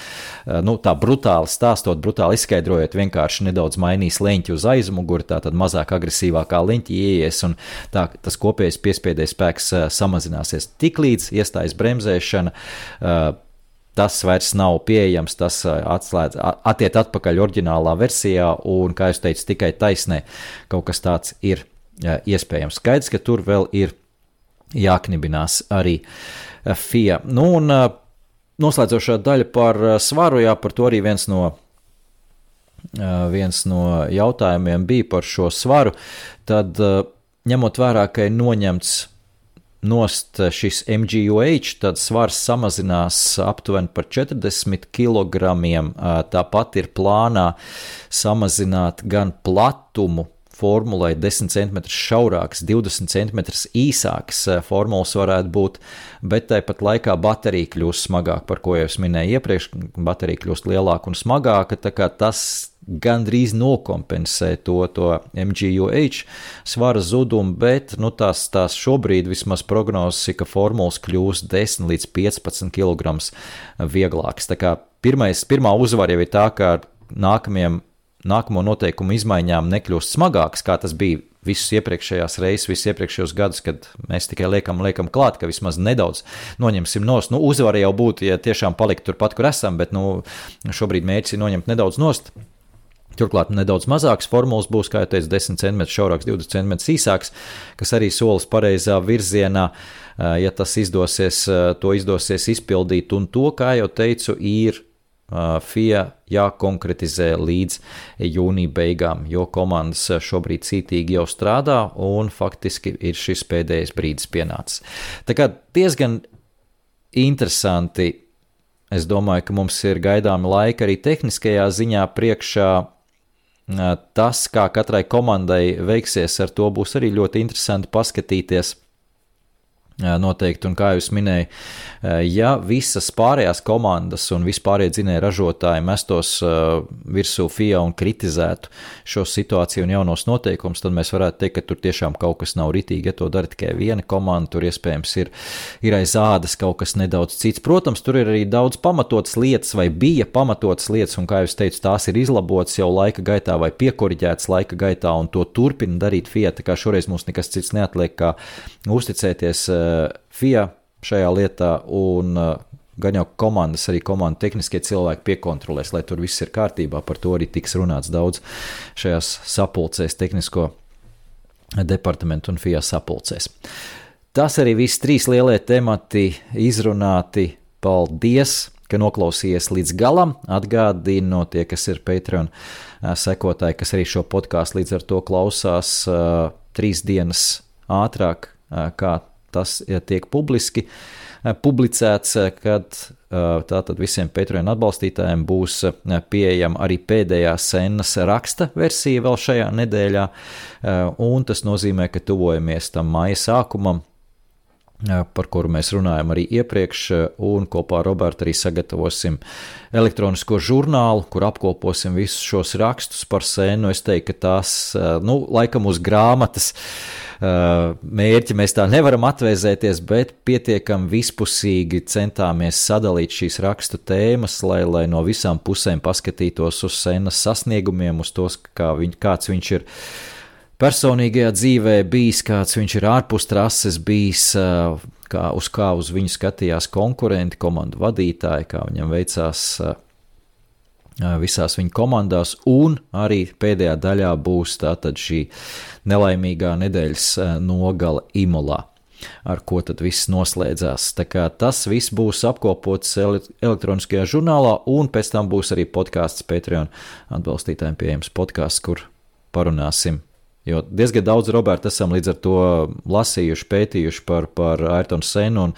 [SPEAKER 1] nu tā brutāli stāstot, brutāli izskaidrojot, vienkārši nedaudz mainīs leņķi uz aizmuguri, tātad mazāk agresīvākā leņķi ieies un tā, tas kopējais piespēdējais spēks samazināsies. Tiklīdz iestājas bremzēšana, tas vairs nav pieejams, tas atslēdz, attiet atpakaļ oriģinālā versijā un, kā es teicu, tikai taisnē kaut kas tāds ir iespējams. Skaidrs, ka tur vēl ir jāknibinās arī F I A. Nu un noslēdzošā daļa par svaru, jā, par to arī viens no, viens no jautājumiem bija par šo svaru, tad ņemot vērā, ka ir noņemts nost šis M G U H, tad svars samazinās aptuveni par četrdesmit kilogramiem. Tāpat ir plānā samazināt gan platumu, formulai desmit centimetrus šaurāks, divdesmit centimetrus īsāks formulas varētu būt, bet tāpat laikā baterija kļūst smagāka, par ko jau es minēju iepriekš, baterija kļūst lielāka un smagāka, tā kā tas gandrīz nokompensē to, to M G U H svara zudumu, bet nu, tās, tās šobrīd vismaz prognozes ir, ka formulas kļūst desmit līdz piecpadsmit kilograms vieglāks. Tā kā pirmais, pirmā uzvara jau ir tā, ka nākamajam, nākamo noteikumu izmaiņām nekļūst smagāks, kā tas bija visus iepriekšējās reizes, visus iepriekšējos gadus, kad mēs tikai liekam, liekam klāt, ka vismaz nedaudz noņemsim nost. Nu, uzvara jau būtu, ja tiešām palikt turpat, kur esam, bet nu, šobrīd mērķis ir noņemt nedaudz nost. Turklāt nedaudz mazāks formulas būs, kā jau teicu, desmit centimetrus šaurāks, divdesmit centimetrus īsāks, kas arī solis pareizā virzienā, ja tas izdosies, to izdosies izpildīt. Un to, kā jau teicu, ir F I A jākonkretizē līdz jūnija beigām, jo komandas šobrīd cītīgi jau strādā un faktiski ir šis pēdējais brīdis pienācis. Tā kā diezgan interesanti, es domāju, ka mums ir gaidāmi laika arī tehniskajā ziņā priekšā. Tas, kā katrai komandai veiksies, ar to būs arī ļoti interesanti paskatīties. Noteikti, un kā jūs minēju, ja visas pārējās komandas un vispārējie dzinēju ražotāji mestos virsū F I A un kritizētu šo situāciju un jaunos noteikumus, tad mēs varētu teikt, ka tur tiešām kaut kas nav ritīgi, ja to dara tikai viena komanda, tur iespējams ir, ir aiz ādas kaut kas nedaudz cits. Protams, tur ir arī daudz pamatotas lietas vai bija pamatotas lietas, un kā jūs teicu, tās ir izlabotas jau laika gaitā vai piekoriģētas laika gaitā, un to turpina darīt F I A, tā kā šoreiz mums nekas cits neatliek, kā uzticēties F I A šajā lietā, un gan jau komandas, arī komandu tehniskie cilvēki piekontrolēs, lai tur viss ir kārtībā, par to arī tiks runāts daudz šajās sapulcēs, tehnisko departamentu un F I A sapulcēs. Tas arī viss trīs lielie temati izrunāti. Paldies, ka noklausījies līdz galam. Atgādinu tie, kas ir Patreon sekotāji, kas arī šo podcastu līdz ar to klausās trīs dienas ātrāk, kā tas tiek publiski publicēts, kad tātad visiem Patreon atbalstītājiem būs pieejama arī pēdējā Sennas raksta versija vēl šajā nedēļā, un tas nozīmē, ka tuvojamies tam māja sākumam, par kuru mēs runājam arī iepriekš, un kopā ar Robertu arī sagatavosim elektronisko žurnālu, kur apkoposim visus šos rakstus par Sennu. Es teiktu, ka tās, nu, laikam uz grāmatas mērķi mēs tā nevaram atvēzēties, bet pietiekam vispusīgi centāmies sadalīt šīs rakstu tēmas, lai, lai no visām pusēm paskatītos uz Sennas sasniegumiem, uz tos, kā viņ, kāds viņš ir personīgajā dzīvē bijis, kāds viņš ir ārpus trases bijis, kā, uz kā uz viņu skatījās konkurenti, komandu vadītāji, kā viņam veicās visās viņa komandās, un arī pēdējā daļā būs tātad šī nelaimīgā nedēļas nogale Imolā, ar ko tad viss noslēdzās. Tā kā tas viss būs apkopots elektroniskajā žurnālā, un pēc tam būs arī podcasts Patreon atbalstītājiem pieejams podcasts, kur parunāsim. Jo diezgan daudz, Roberta, esam līdz ar to lasījuši, pētījuši par, par Ayrtonu Sennu, un,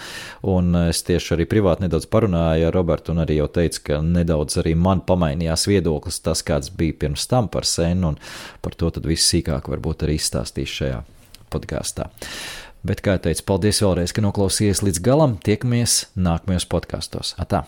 [SPEAKER 1] un es tieši arī privāti nedaudz parunāju ar Robertu, un arī jau teicu, ka nedaudz arī man pamainījās viedoklis tas, kāds bija pirms tam par Sennu, un par to tad viss sīkāk varbūt arī izstāstīšu šajā podkāstā. Bet, kā teicu, paldies vēlreiz, ka noklausījies līdz galam, tiekamies nākamajos podkastos. Atā!